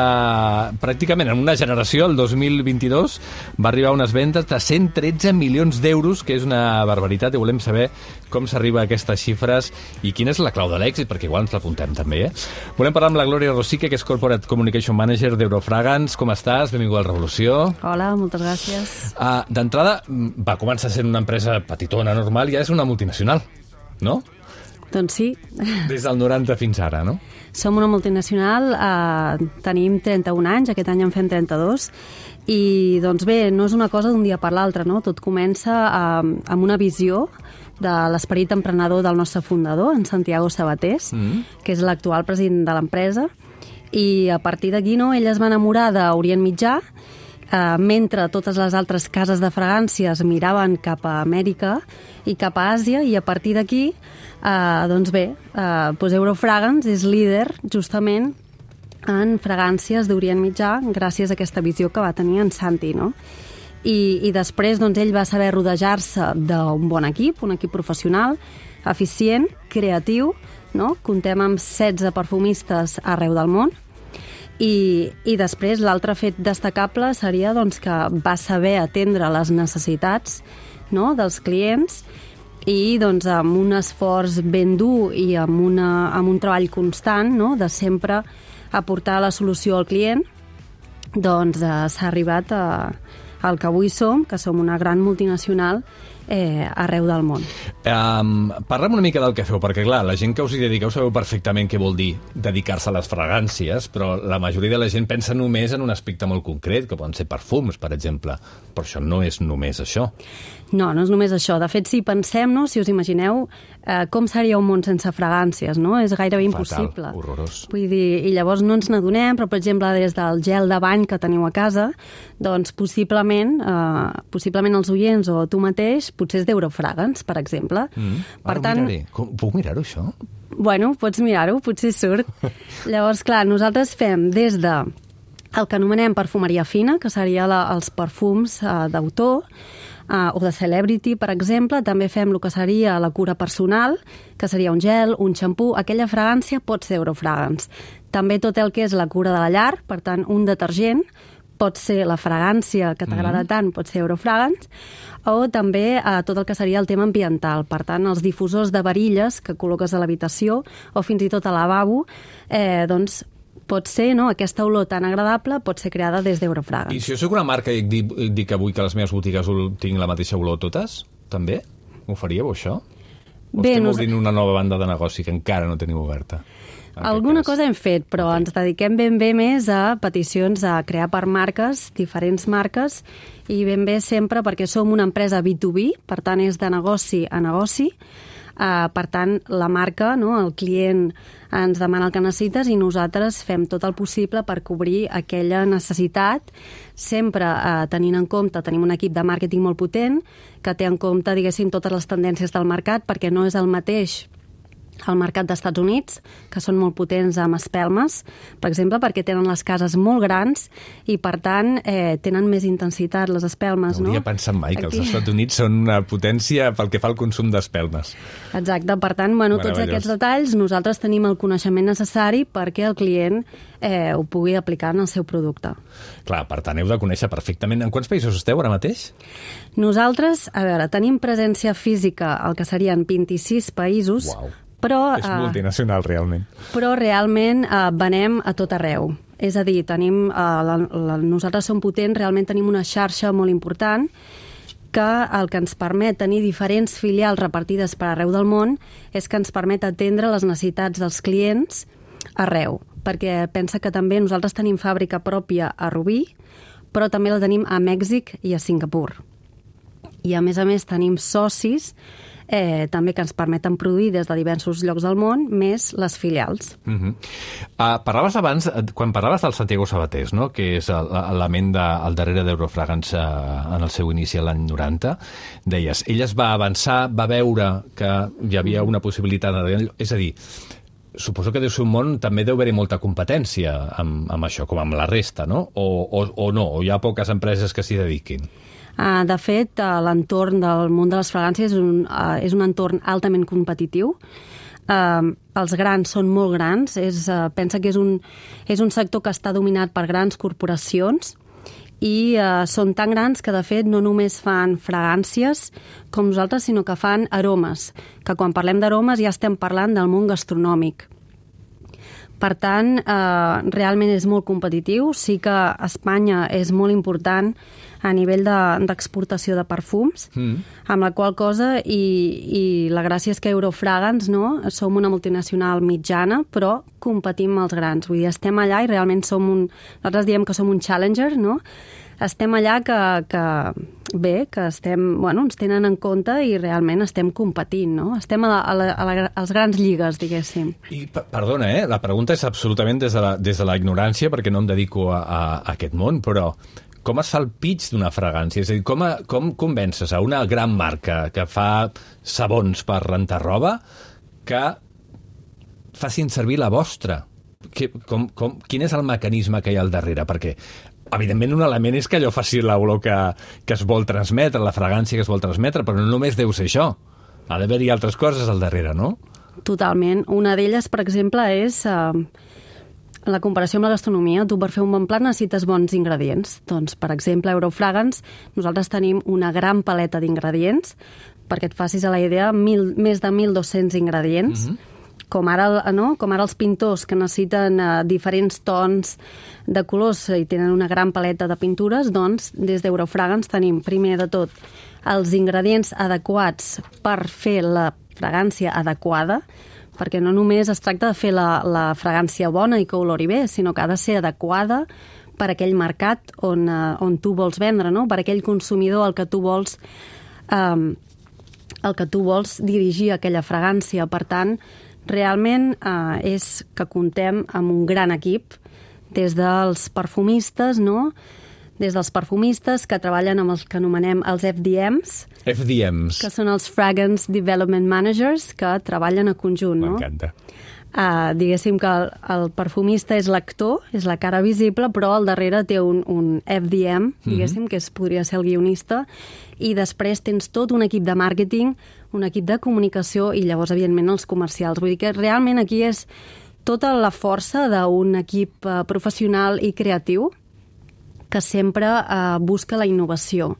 pràcticament en una generació, el dos mil vint-i-dos, va arribar a unes vendes de cent tretze milions d'euros, que és una barbaritat, i volem saber com s'arriba a aquestes xifres i quina és la clau de l'èxit, perquè igual ens l'apuntem també, eh? Volem parlar amb la Glòria Rosique, que és Corporate Communication Manager d'Eurofragans. Com estàs? Benvinguda a la Revolució. Hola, moltes gràcies. Uh, D'entrada, va començar sent una empresa petitona, normal, i ja és una multinacional, no? Doncs sí. Des del noranta fins ara, no? Som una multinacional, eh, tenim trenta-un anys, aquest any en fem trenta-dos, i doncs bé, no és una cosa d'un dia per l'altre, no? Tot comença eh, amb una visió de l'esperit emprenedor del nostre fundador, en Santiago Sabatés, mm. que és l'actual president de l'empresa, i a partir d'aquí, no, ell es va enamorar d'Orient Mitjà, eh, mentre totes les altres cases de fragàncies miraven cap a Amèrica i cap a Àsia, i a partir d'aquí, eh, doncs bé, eh, doncs Eurofragans és líder justament en fragàncies d'Orient Mitjà gràcies a aquesta visió que va tenir en Santi, no? I, i després doncs, ell va saber rodejar-se d'un bon equip, un equip professional, eficient, creatiu, no? Comptem amb setze perfumistes arreu del món, i, i després l'altre fet destacable seria doncs, que va saber atendre les necessitats, no? dels clients, i doncs, amb un esforç ben dur i amb, una, amb un treball constant, no? de sempre aportar la solució al client, doncs eh, s'ha arribat a el que avui som, que som una gran multinacional eh, arreu del món. Um, Parla'm una mica del que feu, perquè clar, la gent que us hi dediqueu sabeu perfectament què vol dir dedicar-se a les fragàncies, però la majoria de la gent pensa només en un aspecte molt concret, que poden ser perfums, per exemple, però això no és només això. No, no és només això. De fet, si pensem, no, si us imagineu eh, com seria un món sense fragàncies, no? És gairebé impossible. Fatal, horrorós. Vull dir, i llavors no ens n'adonem, però, per exemple, des del gel de bany que teniu a casa, doncs possiblement, eh, possiblement els oients o tu mateix, potser és d'Eurofragans, per exemple. Mm. Per Ara tant, Com, puc mirar-ho, això? Bueno, pots mirar-ho, potser surt. Llavors, clar, nosaltres fem des de el que anomenem perfumeria fina, que seria la, els perfums eh, d'autor, Uh, o de celebrity, per exemple. També fem el que seria la cura personal, que seria un gel, un xampú. Aquella fragància pot ser Eurofragans. També tot el que és la cura de la llar, per tant, un detergent pot ser la fragància que t'agrada mm. tant, pot ser Eurofragans, o també uh, tot el que seria el tema ambiental. Per tant, els difusors de varilles que col·loques a l'habitació o fins i tot al lavabo, eh, doncs pot ser, no? Aquesta olor tan agradable pot ser creada des d'Eurofragans. I si jo soc una marca i dic, dic avui que a les meves botigues tinc la mateixa olor totes, també? M'ho faríeu, això? O Bé, estem nos... obrint una nova banda de negoci que encara no teniu oberta? Alguna cosa hem fet, però okay. ens dediquem ben bé més a peticions a crear per marques, diferents marques, i ben bé sempre perquè som una empresa B dos B, per tant és de negoci a negoci. Uh, per tant, la marca, no, el client ens demana el que necessites i nosaltres fem tot el possible per cobrir aquella necessitat, sempre uh, tenint en compte, tenim un equip de màrqueting molt potent que té en compte, diguéssim, totes les tendències del mercat, perquè no és el mateix al mercat dels Estats Units, que són molt potents amb espelmes, per exemple, perquè tenen les cases molt grans i, per tant, eh, tenen més intensitat les espelmes. No hauria no? pensat mai que Aquí... els Estats Units són una potència pel que fa al consum d'espelmes. Exacte, per tant, bueno, tots aquests detalls nosaltres tenim el coneixement necessari perquè el client eh, ho pugui aplicar en el seu producte. Clar, per tant, heu de conèixer perfectament. En quants països esteu ara mateix? Nosaltres, a veure, tenim presència física al que serien vint-i-sis països. Uau. Però, és multinacional, realment. Però realment eh, venem a tot arreu. És a dir, tenim, eh, la, la, nosaltres som potents, realment tenim una xarxa molt important que el que ens permet tenir diferents filials repartides per arreu del món és que ens permet atendre les necessitats dels clients arreu. Perquè pensa que també nosaltres tenim fàbrica pròpia a Rubí, però també la tenim a Mèxic i a Singapur. I a més a més tenim socis Eh, també que ens permeten produir des de diversos llocs del món, més les filials. Uh -huh. uh, parlaves abans, quan parlaves del Santiago Sabatés, no? Que és la ment de, al darrere d'Eurofragance en el seu inici l'any noranta, deies, ell es va avançar, va veure que hi havia una possibilitat, és a dir, suposo que deu ser un món, també deu haver-hi molta competència amb, amb això, com amb la resta, no? O, o, o no, o hi ha poques empreses que s'hi dediquin? Uh, de fet, uh, l'entorn del món de les fragàncies és un, uh, és un entorn altament competitiu. Uh, els grans són molt grans. És, uh, pensa que és un, és un sector que està dominat per grans corporacions i uh, són tan grans que, de fet, no només fan fragàncies com nosaltres, sinó que fan aromes, que quan parlem d'aromes ja estem parlant del món gastronòmic. Per tant, eh, realment és molt competitiu. Sí que Espanya és molt important a nivell d'exportació de, de perfums, mm. amb la qual cosa, i, i la gràcia és que Eurofragance, no? Som una multinacional mitjana, però competim amb els grans. Vull dir, estem allà i realment som un... Nosaltres diem que som un challenger, no? Estem allà que, que bé, que estem, bueno, ens tenen en compte i realment estem competint, no? Estem a, la, a, la, a, la, a les grans lligues, diguéssim. I, perdona, eh? La pregunta és absolutament des de la, des de la ignorància, perquè no em dedico a, a, a aquest món, però com es fa el pitch d'una fragància? És a dir, com, a, com convences a una gran marca que fa sabons per rentar roba que facin servir la vostra? Que, com, com, quin és el mecanisme que hi ha al darrere? Perquè evidentment, un element és que allò faci l'olor que, que es vol transmetre, la fragància que es vol transmetre, però no només deu ser això. Ha d'haver-hi altres coses al darrere, no? Totalment. Una d'elles, per exemple, és eh, la comparació amb la gastronomia. Tu, per fer un bon plat, necessites bons ingredients. Doncs, per exemple, a Eurofragance, nosaltres tenim una gran paleta d'ingredients, perquè et facis a la idea, mil, més de mil dos-cents ingredients, mm-hmm. com ara, no? com ara els pintors que necessiten uh, diferents tons de colors i tenen una gran paleta de pintures, doncs des d'Eurofragance tenim, primer de tot, els ingredients adequats per fer la fragància adequada, perquè no només es tracta de fer la, la fragància bona i que olori bé, sinó que ha de ser adequada per aquell mercat on, uh, on tu vols vendre, no? Per aquell consumidor al que tu vols... Um, el que tu vols dirigir aquella fragància. Per tant, realment eh, és que contem amb un gran equip, des dels perfumistes, no? Des dels perfumistes que treballen amb els que anomenem els F D Ms. F D Ms. Que són els Fragrance Development Managers, que treballen a conjunt, no? M'encanta. Uh, diguéssim que el, el perfumista és l'actor, és la cara visible, però al darrere té un, un F D M, diguéssim, mm-hmm. que és, podria ser el guionista, i després tens tot un equip de màrqueting, un equip de comunicació i llavors, evidentment, els comercials. Vull dir que realment aquí és tota la força d'un equip uh, professional i creatiu que sempre uh, busca la innovació.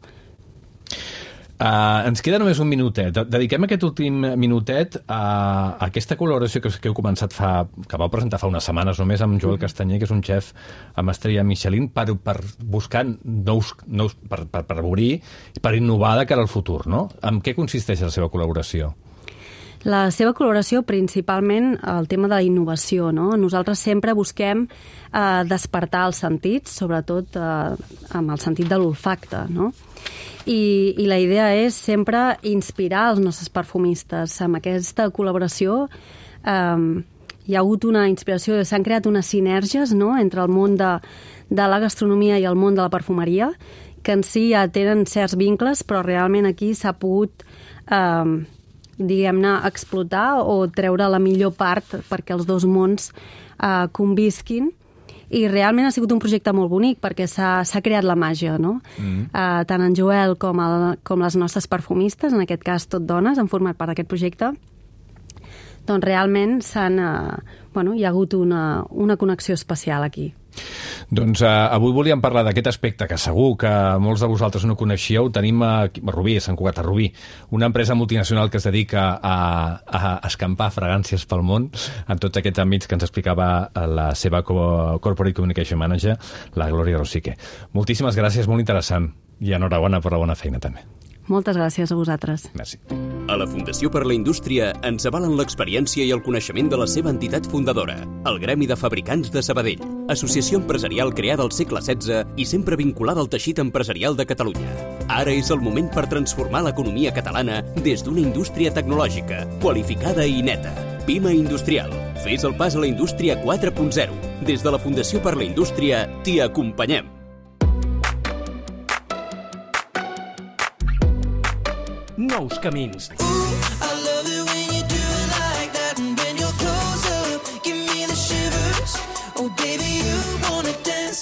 Uh, ens queda només un minutet. Dediquem aquest últim minutet a, a aquesta col·laboració que, que heu començat fa, que vau presentar fa unes setmanes només amb Joel Castanyer, que és un xef amb estrella Michelin, per, per buscar nous, nous per, per, per obrir i per innovar de cara al futur, no? En què consisteix la seva col·laboració? La seva col·laboració, principalment, el tema de la innovació, no? Nosaltres sempre busquem eh, despertar els sentits, sobretot eh, amb el sentit de l'olfacte, no? I, i la idea és sempre inspirar els nostres perfumistes. Amb aquesta col·laboració eh, hi ha hagut una inspiració, s'han creat unes sinergies, no?, entre el món de, de la gastronomia i el món de la perfumeria, que en si ja tenen certs vincles, però realment aquí s'ha pogut eh, diguem-ne, explotar o treure la millor part perquè els dos mons eh, convisquin. I realment ha sigut un projecte molt bonic perquè s'ha creat la màgia, no? Mm. Uh, tant en Joel com, el, com les nostres perfumistes, en aquest cas tot dones, han format part d'aquest projecte. Doncs realment s'han, uh, bueno, hi ha hagut una, una connexió especial aquí. Doncs uh, avui volíem parlar d'aquest aspecte que segur que molts de vosaltres no coneixíeu. Tenim a, a Rubí, a Sant Cugat a Rubí, una empresa multinacional que es dedica a, a escampar fragàncies pel món en tots aquests àmbits que ens explicava la seva Corporate Communication Manager, la Glòria Rosique. Moltíssimes gràcies, molt interessant, i enhorabona per la bona feina també. Moltes gràcies a vosaltres. Merci. A la Fundació per la Indústria ens avalen l'experiència i el coneixement de la seva entitat fundadora, el Gremi de Fabricants de Sabadell, associació empresarial creada al segle setze i sempre vinculada al teixit empresarial de Catalunya. Ara és el moment per transformar l'economia catalana des d'una indústria tecnològica, qualificada i neta. Pima Industrial. Fes el pas a la indústria quatre punt zero. Des de la Fundació per la Indústria t'hi acompanyem. Nous camins.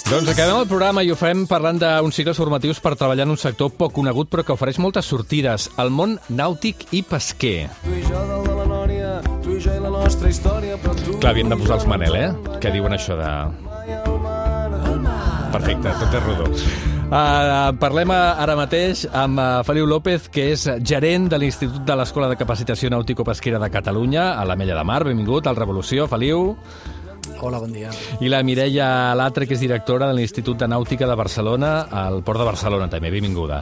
Doncs acabem el programa i ho fem parlant d'uns cicles formatius per treballar en un sector poc conegut però que ofereix moltes sortides, el món nàutic i pesquer. Tu i jo dalt de la nòria, tu i jo i la nostra història, però tu... Clar, havien de posar els Manel, eh? Que diuen això de... Perfecte, tot és rodó. Uh, parlem ara mateix amb uh, Feliu López, que és gerent de l'Institut de l'Escola de Capacitació Nàutico-Pesquera de Catalunya, a l'Ametlla de Mar. Benvingut al Revolució, Feliu. Hola, bon dia. I la Mireia Latre, que és directora de l'Institut de Nàutica de Barcelona, al Port de Barcelona, també. Benvinguda.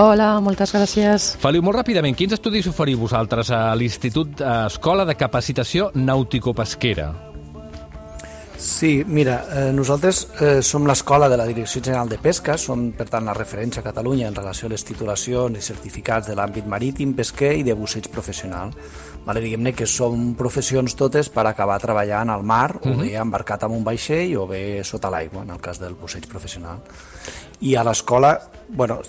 Hola, moltes gràcies. Feliu, molt ràpidament, quins estudis oferiu vosaltres a l'Institut Escola de Capacitació Nàutico-Pesquera? Sí, mira, eh, nosaltres eh, som l'escola de la Direcció General de Pesca, som, per tant, la referència a Catalunya en relació a les titulacions i certificats de l'àmbit marítim, pesquer i de busseig professional. Vale, diguem-ne que som professions totes per acabar treballant al mar, uh-huh. o bé embarcat amb un vaixell o bé sota l'aigua, en el cas del busseig professional. I a l'escola, bueno,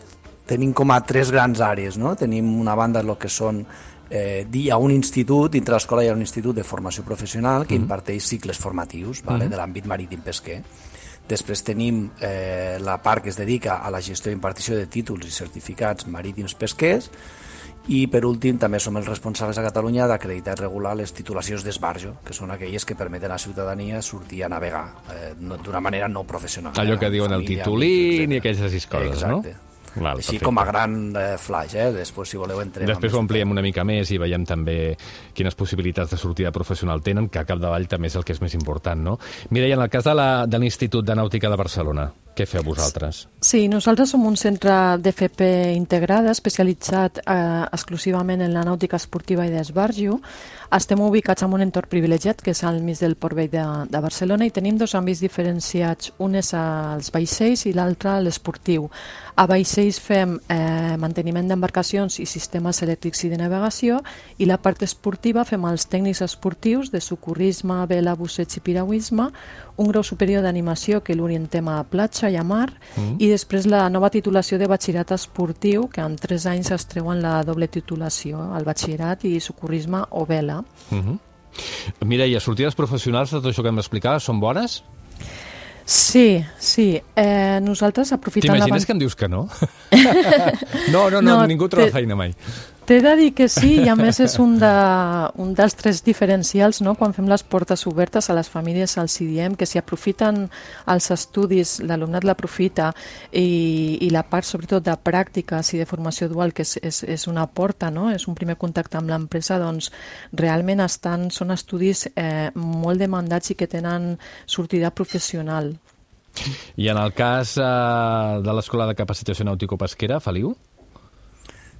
tenim com a tres grans àrees, no? Tenim una banda el que són Eh, hi ha un institut, dintre l'escola hi ha un institut de formació professional que mm. imparteix cicles formatius, vale, mm. de l'àmbit marítim pesquer. Després tenim eh, la part que es dedica a la gestió i impartició de títols i certificats marítims pesquers, i per últim també som els responsables a Catalunya d'acreditar i regular les titulacions d'esbarjo, que són aquelles que permeten a la ciutadania sortir a navegar eh, no, d'una manera no professional. Allò que diuen el titulín i aquelles coses, exacte. No? Val, així perfecte. Com a gran eh, flash, eh? Després, si voleu, entrem... Després ho ampliem una mica més i veiem també quines possibilitats de sortida professional tenen, que a capdavall també és el que és més important, no? Mireia, en el cas de l'Institut de, de Nàutica de Barcelona, què feu vosaltres? Sí, nosaltres som un centre d'F P integrada, especialitzat eh, exclusivament en la nàutica esportiva i d'esbarjo. Estem ubicats en un entorn privilegiat, que és al mig del Port Vell de, de Barcelona, i tenim dos àmbits diferenciats. Un és als vaixells i l'altre a l'esportiu. A vaixells fem eh, manteniment d'embarcacions i sistemes elèctrics i de navegació, i la part esportiva fem els tècnics esportius de socorrisme, vela, busseig i piragüisme, un grau superior d'animació que l'orientem a platja i a mar, mm. i després la nova titulació de batxillerat esportiu, que en tres anys es treuen la doble titulació, el batxillerat i socorrisme o vela. Mm-hmm. Mireia, sortides professionals de tot això que hem d'explicar són bones? Sí, sí. Eh, nosaltres aprofitant... T'imagines que em dius que no? no, no, no, no, ningú troba te... feina mai. T'he de dir que sí, i a més és un, de, un dels tres diferencials, no? Quan fem les portes obertes a les famílies els diem que si aprofiten els estudis, l'alumnat l'aprofita, i, i la part sobretot de pràctiques i de formació dual, que és, és, és una porta, no? És un primer contacte amb l'empresa, doncs realment estan, són estudis eh, molt demandats i que tenen sortida professional. I en el cas eh, de l'Escola de Capacitació Nàutico-Pesquera, Feliu?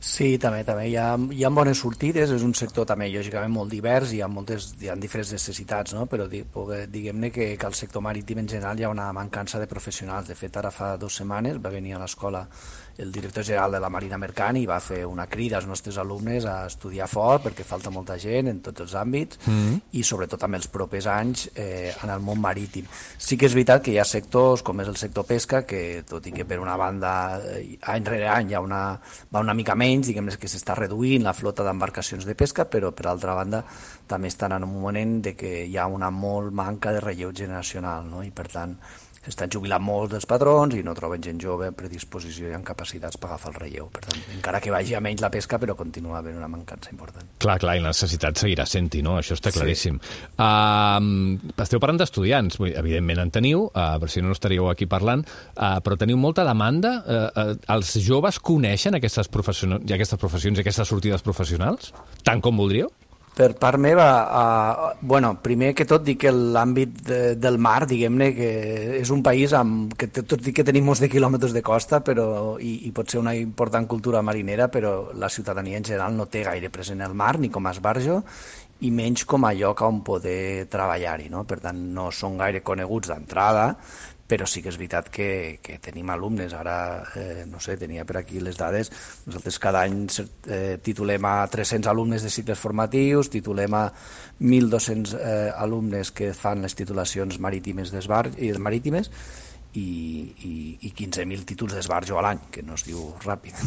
Sí, també, també. Hi ha, hi ha bones sortides, és un sector també lògicament molt divers, hi ha, moltes, hi ha diferents necessitats, no? Però diguem-ne que, que al sector marítim en general hi ha una mancança de professionals. De fet, ara fa dues setmanes va venir a l'escola el director general de la Marina Mercant i va fer una crida als nostres alumnes a estudiar fort perquè falta molta gent en tots els àmbits mm. i sobretot en els propers anys eh, en el món marítim. Sí que és veritat que hi ha sectors com és el sector pesca que tot i que per una banda eh, any rere any hi ha una, va una mica menys, diguem que s'està reduint la flota d'embarcacions de pesca, però per altra banda també estan en un moment de que hi ha una molt manca de relleu generacional, no? I per tant s'estan jubilant molts dels patrons i no troben gent jove amb predisposició i amb capacitats per agafar el relleu. Per tant, encara que vagi a menys la pesca, però continua havent una mancança important. Clar, clar, i la necessitat seguirà sent-hi, no? Això està claríssim. Sí. Uh, esteu parlant d'estudiants, evidentment en teniu, uh, per si no estaríeu aquí parlant, uh, però teniu molta demanda. Uh, uh, els joves coneixen aquestes, profession... aquestes professions i aquestes sortides professionals? Tant com voldríeu? Per part meva, uh, bueno, primer que tot dic que l'àmbit de, del mar, diguem-ne, que és un país amb, que tot dic que tenim molts de quilòmetres de costa però, i, i pot ser una important cultura marinera, però la ciutadania en general no té gaire present el mar, ni com a esbarjo, i menys com a lloc on poder treballar-hi, no? Per tant, no són gaire coneguts d'entrada, però sí que és veritat que, que tenim alumnes. Ara, eh, no sé, tenia per aquí les dades, nosaltres cada any eh, titulem a tres-cents alumnes de cicles formatius, titulem a mil dos-cents eh, alumnes que fan les titulacions marítimes d'esbarjo i marítimes i, i, i quinze mil títols d'esbarjo a l'any, que no es diu ràpid,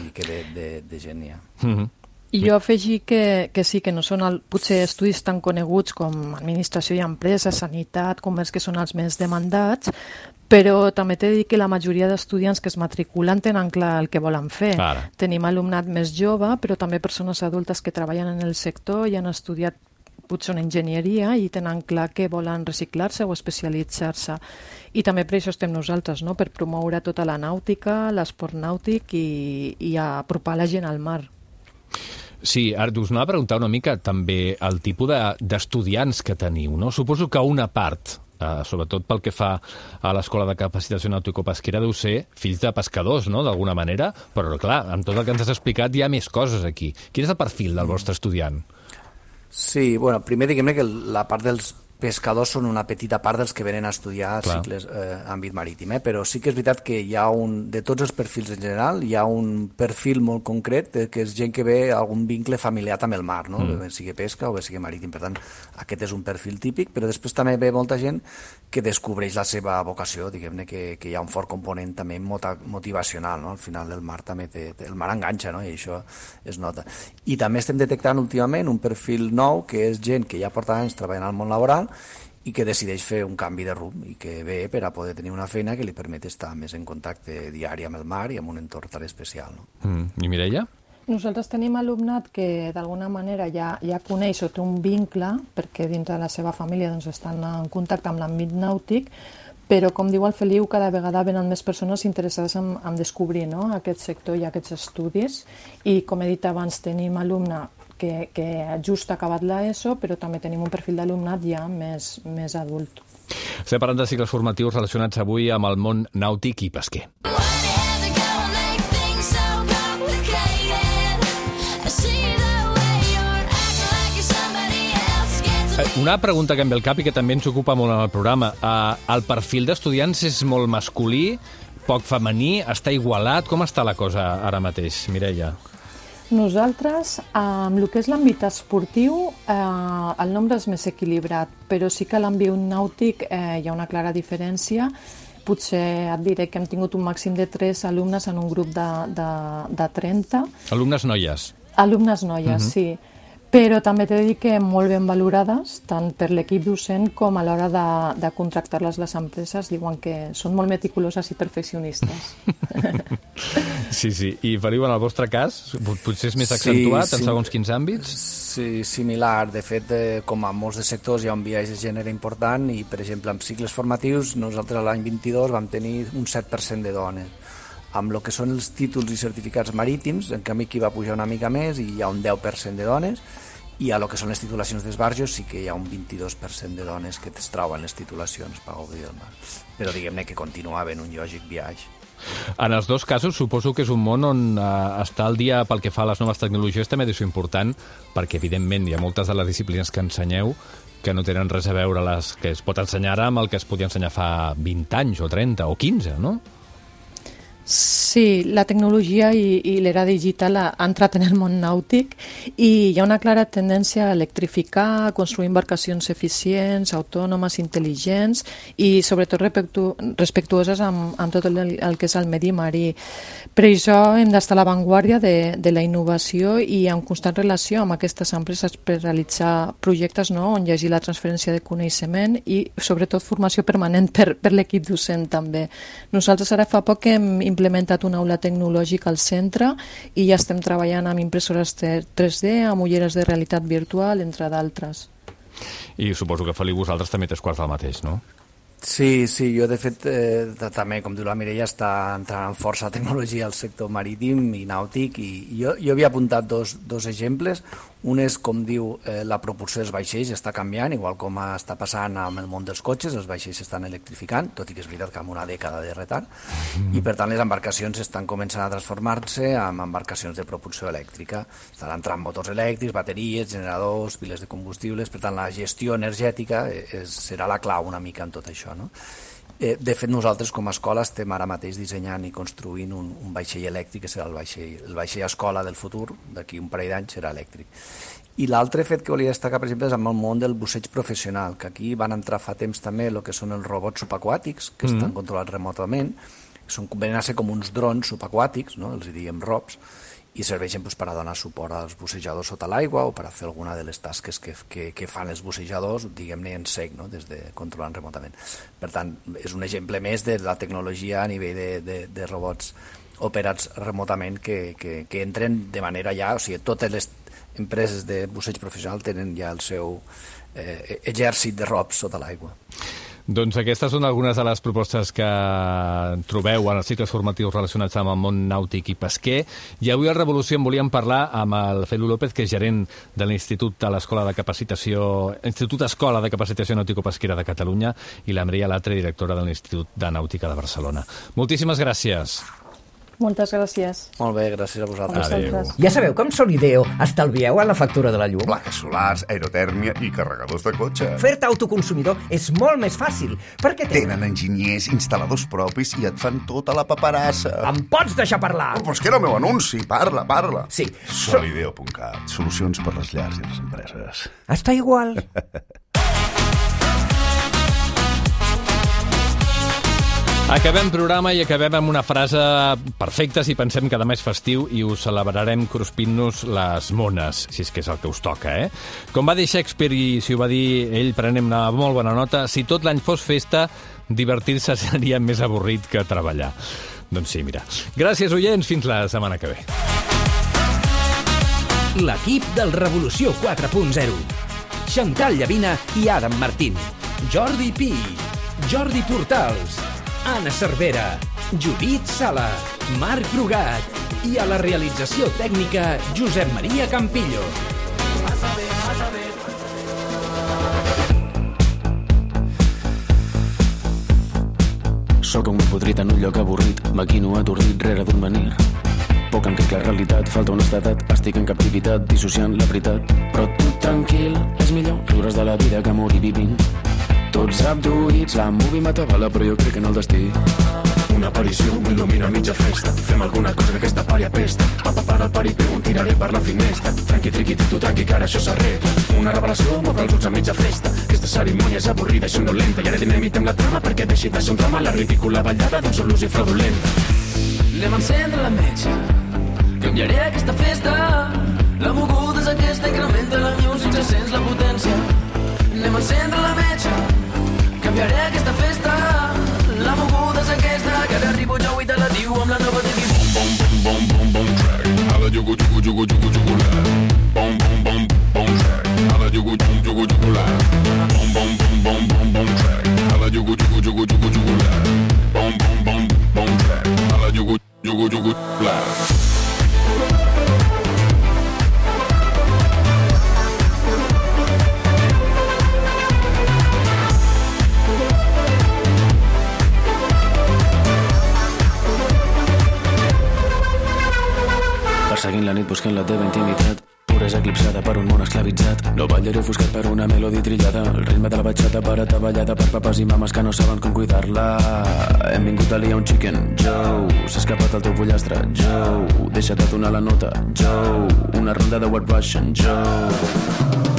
i que de, de, de gent hi ha. Mm-hmm. I jo afegir que, que sí, que no són el, potser estudis tan coneguts com administració i empresa, sanitat, comerç, que són els més demandats, però també t'he de dir que la majoria d'estudiants que es matriculen tenen clar el que volen fer. Ara. Tenim alumnat més jove, però també persones adultes que treballen en el sector i han estudiat potser una enginyeria i tenen clar que volen reciclar-se o especialitzar-se. I també per això estem nosaltres, no? Per promoure tota la nàutica, l'esport nàutic i, i apropar la gent al mar. Sí, ara us anava a preguntar una mica també el tipus de, d'estudiants que teniu, no? Suposo que una part, eh, sobretot pel que fa a l'Escola de Capacitació Nàutico-Pesquera, deu ser fills de pescadors, no?, d'alguna manera, però clar, amb tot el que ens has explicat hi ha més coses aquí. Quin és el perfil del vostre estudiant? Sí, bueno, primer diguem-ne que la part dels pescadors són una petita part dels que venen a estudiar Clar. cicles eh, àmbit marítim, eh? Però sí que és veritat que hi ha un, de tots els perfils en general, hi ha un perfil molt concret eh, que és gent que ve algun vincle familiar amb el mar, no? Mm. Bé sigui pesca o bé sigui marítim, per tant aquest és un perfil típic, però després també ve molta gent que descobreix la seva vocació, diguem-ne que, que hi ha un fort component també motivacional, no? Al final el mar també té, té el mar enganxa, no? I això es nota. I també estem detectant últimament un perfil nou que és gent que ja porta anys treballant al món laboral i que decideix fer un canvi de rumb i que ve per a poder tenir una feina que li permet estar més en contacte diari amb el mar i amb un entorn tan especial. No? Mm. I Mireia? Nosaltres tenim alumnat que d'alguna manera ja, ja coneix o té un vincle perquè dins de la seva família doncs, estan en contacte amb l'àmbit nàutic, però com diu el Feliu, cada vegada venen més persones interessades en, en descobrir, no?, aquest sector i aquests estudis, i com he dit abans tenim alumne que, que just ha acabat l'ESO, però també tenim un perfil d'alumnat ja més, més adult. Estem parlant de cicles formatius relacionats avui amb el món nàutic i pesquer. Una pregunta que em ve al cap i que també ens ocupa molt en el programa. Uh, el perfil d'estudiants és molt masculí, poc femení, està igualat? Com està la cosa ara mateix, Mireia? Nosaltres, amb el que és l'àmbit esportiu, eh, el nombre és més equilibrat, però sí que a l'àmbit nàutic eh, hi ha una clara diferència. Potser et diré que hem tingut un màxim de tres alumnes en un grup de, de, de trenta. Alumnes noies? Alumnes noies, uh-huh. sí. Però també t'he de dir que molt ben valorades, tant per l'equip docent com a l'hora de, de contractar-les les empreses. Diuen que són molt meticuloses i perfeccionistes. Sí, sí. I, Feliu, en el vostre cas, potser és més accentuat sí, sí. en segons quins àmbits? Sí, similar. De fet, eh, com a molts de sectors hi ha un biaix de gènere important i, per exemple, en cicles formatius, nosaltres l'any vint-i-dos vam tenir un set per cent de dones. Amb el que són els títols i certificats marítims, en canvi aquí va pujar una mica més i hi ha un deu per cent de dones, i a lo que són les titulacions d'esbarjos sí que hi ha un vint-i-dos per cent de dones que es troben les titulacions per gaudir del mar. Però diguem-ne que continua havent un lògic viatge. En els dos casos suposo que és un món on eh, estar al dia pel que fa a les noves tecnologies també és important, perquè evidentment hi ha moltes de les disciplines que ensenyeu que no tenen res a veure les que es pot ensenyar ara amb el que es podia ensenyar fa vint anys o trenta o quinze, no? Sí, la tecnologia i, i l'era digital ha, ha entrat en el món nàutic i hi ha una clara tendència a electrificar, a construir embarcacions eficients, autònomes, intel·ligents i sobretot respectu respectuoses amb, amb tot el, el que és el medi marí. Per això hem d'estar a l'avantguàrdia de, de la innovació i en constant relació amb aquestes empreses per realitzar projectes, no?, on hi hagi la transferència de coneixement i sobretot formació permanent per, per l'equip docent també. Nosaltres ara fa poc hem implementat una aula tecnològica al centre i ja estem treballant amb impressores tres D, amb ulleres de realitat virtual, entre d'altres. I suposo que Feliu, vosaltres també t'és quarts del mateix, no? Sí, sí, jo de fet eh, també, com diu la Mireia, està entrant amb força tecnologia al sector marítim i nàutic i jo, jo havia apuntat dos, dos exemples. Un és, com diu, eh, la propulsió dels vaixells està canviant, igual com està passant amb el món dels cotxes, els vaixells s'estan electrificant, tot i que és veritat que amb una dècada de retard, mm. i per tant les embarcacions estan començant a transformar-se en embarcacions de propulsió elèctrica. Estan entrant motors elèctrics, bateries, generadors, piles de combustibles, per tant la gestió energètica és, serà la clau una mica en tot això, no? Eh, de fet, nosaltres com a escola estem ara mateix dissenyant i construint un, un vaixell elèctric, que serà el vaixell, el vaixell escola del futur, d'aquí un parell d'anys serà elèctric. I l'altre fet que volia destacar, per exemple, és amb el món del busseig professional, que aquí van entrar fa temps també el que són els robots subaquàtics, que mm. estan controlats remotament, són, venen a ser com uns drons subaquàtics, no? Els diem rops, i serveixen doncs, per a donar suport als bussejadors sota l'aigua o per a fer alguna de les tasques que, que, que fan els bussejadors, diguem-ne en sec, no? Des de controlant remotament. Per tant, és un exemple més de la tecnologia a nivell de, de, de robots operats remotament que, que, que entren de manera ja, o sigui, totes les empreses de busseig professional tenen ja el seu eh, exèrcit de robots sota l'aigua. Doncs aquestes són algunes de les propostes que trobeu en els cicles formatius relacionats amb el món nàutic i pesquer. I avui a Revolució en volíem parlar amb el Feliu López, que és gerent de l'Institut de l'Escola de Capacitació, Institut Escola de Capacitació Nàutico-Pesquera de Catalunya, i la Mireia Latre, directora de l'Institut de Nàutica de Barcelona. Moltíssimes gràcies. Moltes gràcies. Molt bé, gràcies a vosaltres. Adéu. Ja sabeu com Solideo estalvieu en la factura de la llum? Plaques solars, aerotèrmia i carregadors de cotxe. Fer-te autoconsumidor és molt més fàcil, perquè tenen... Tenen enginyers, instal·ladors propis i et fan tota la paperassa. Em pots deixar parlar? Oh, però és que era el meu anunci. Parla, parla. Sí. Solideo punt cat. Solucions per les llars i les empreses. Està igual. Acabem programa i acabem amb una frase perfecta si pensem que demà és festiu i us celebrarem cruspint-nos les mones, si és que és el que us toca, eh? Com va dir Shakespeare i si ho va dir ell, prenem una molt bona nota, si tot l'any fos festa, divertir-se seria més avorrit que treballar. Doncs sí, mira. Gràcies, oients, fins la setmana que ve. L'equip del Revolució quatre punt zero. Xantal Llavina i Adam Martín. Jordi Pi. Jordi Portals. Anna Cervera, Judit Sala, Marc Brugat i a la realització tècnica Josep Maria Campillo. A saber, a saber. Soc un podrit en un lloc avorrit, maquino atordit rere d'un menir. Poc en què la realitat, falta honestedat, estic en captivitat, dissociant la veritat. Però tu tranquil, és millor riure's de la vida que morir vivint. Tots abduïts, la movie m'atabala, però jo crec en el destí. Una aparició m'il·lumina a mitja festa. Fem alguna cosa que aquesta pària pesta. Papa para el paripé, un tiraré per la finestra. Tranqui, triqui, tu tranqui, que ara això s'arregla. Una revelació m'obre els ulls a mitja festa. Aquesta cerimònia és avorrida i sonolenta. I ara dinamitem la trama perquè deixi de ser un drama la ridícula ballada d'un sol ús i fraudulenta. Anem a encendre la metxa. Canviaré aquesta festa. La moguda és aquesta, incrementa la music, se sents la potència. Anem a encendre la metxa. Canviaré aquesta festa. La moguda és aquesta, que ara arribo jo i te la diu amb la nova T V. Bom, bom, bom, bom, bom, track. A la yugu, yugu, yugu, yugu, yugu, la. Bom, bom, bom, bom, track. A la yugu, yugu, yugu, yugu, la. Bom, bom, bom, bom, bom, bom, track. A la yugu, yugu, yugu, yugu, yugu, la. Bom, bom, bom, bom, track. A la yugu, yugu, yugu, la. Perseguint la nit buscant la teva intimitat. pura és eclipsada per un món esclavitzat. No ballaré ofuscat per una melodi trillada, el ritme de la batxata barata ballada per papes i mames que no saben com cuidar-la. Hem vingut a liar un chicken, Joe, s'ha escapat el teu pollastre, Joe, deixa't de donar la nota, Joe, una ronda de White Russian, Joe.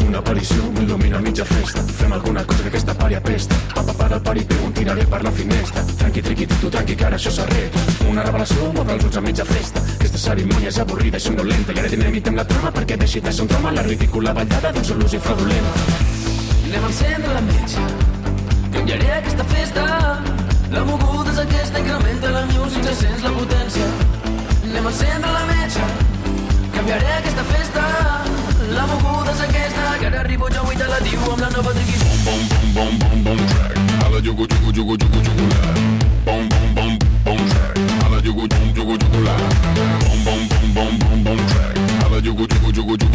Una aparició m'il·lumina a mitja festa. Fem alguna cosa que aquesta pari apesta. Papa para el pari, pego un tiraré per la finestra. Tranqui, triqui, tu, tranqui, que ara això s'arregla. Una revelació, m'obre els ulls a mitja festa. Aquesta cerimònia és avorrida i somnolenta. I ara dinamitem la trama perquè deixi de ser un drama la ridícula ballada d'un sol ús i fraudulent. Anem a encendre la metge, canviaré aquesta festa. La moguda és aquesta, incrementa la music, ja sents la potència. Anem a encendre la metge, canviaré aquesta festa. La moguda és aquesta, que ara arribo jo i te la diu amb la nova triqui. Bom, bom, bom, bom, bom, track. A la yugu, yugu, yugu, yugu, yugu, la. Bom, bom, bom, bom, track. A la yugu, yugu, yugu, yugu, la. Bom, bom, bom, bom, bom, bom, track. A la yugu, yugu, yugu, yugu,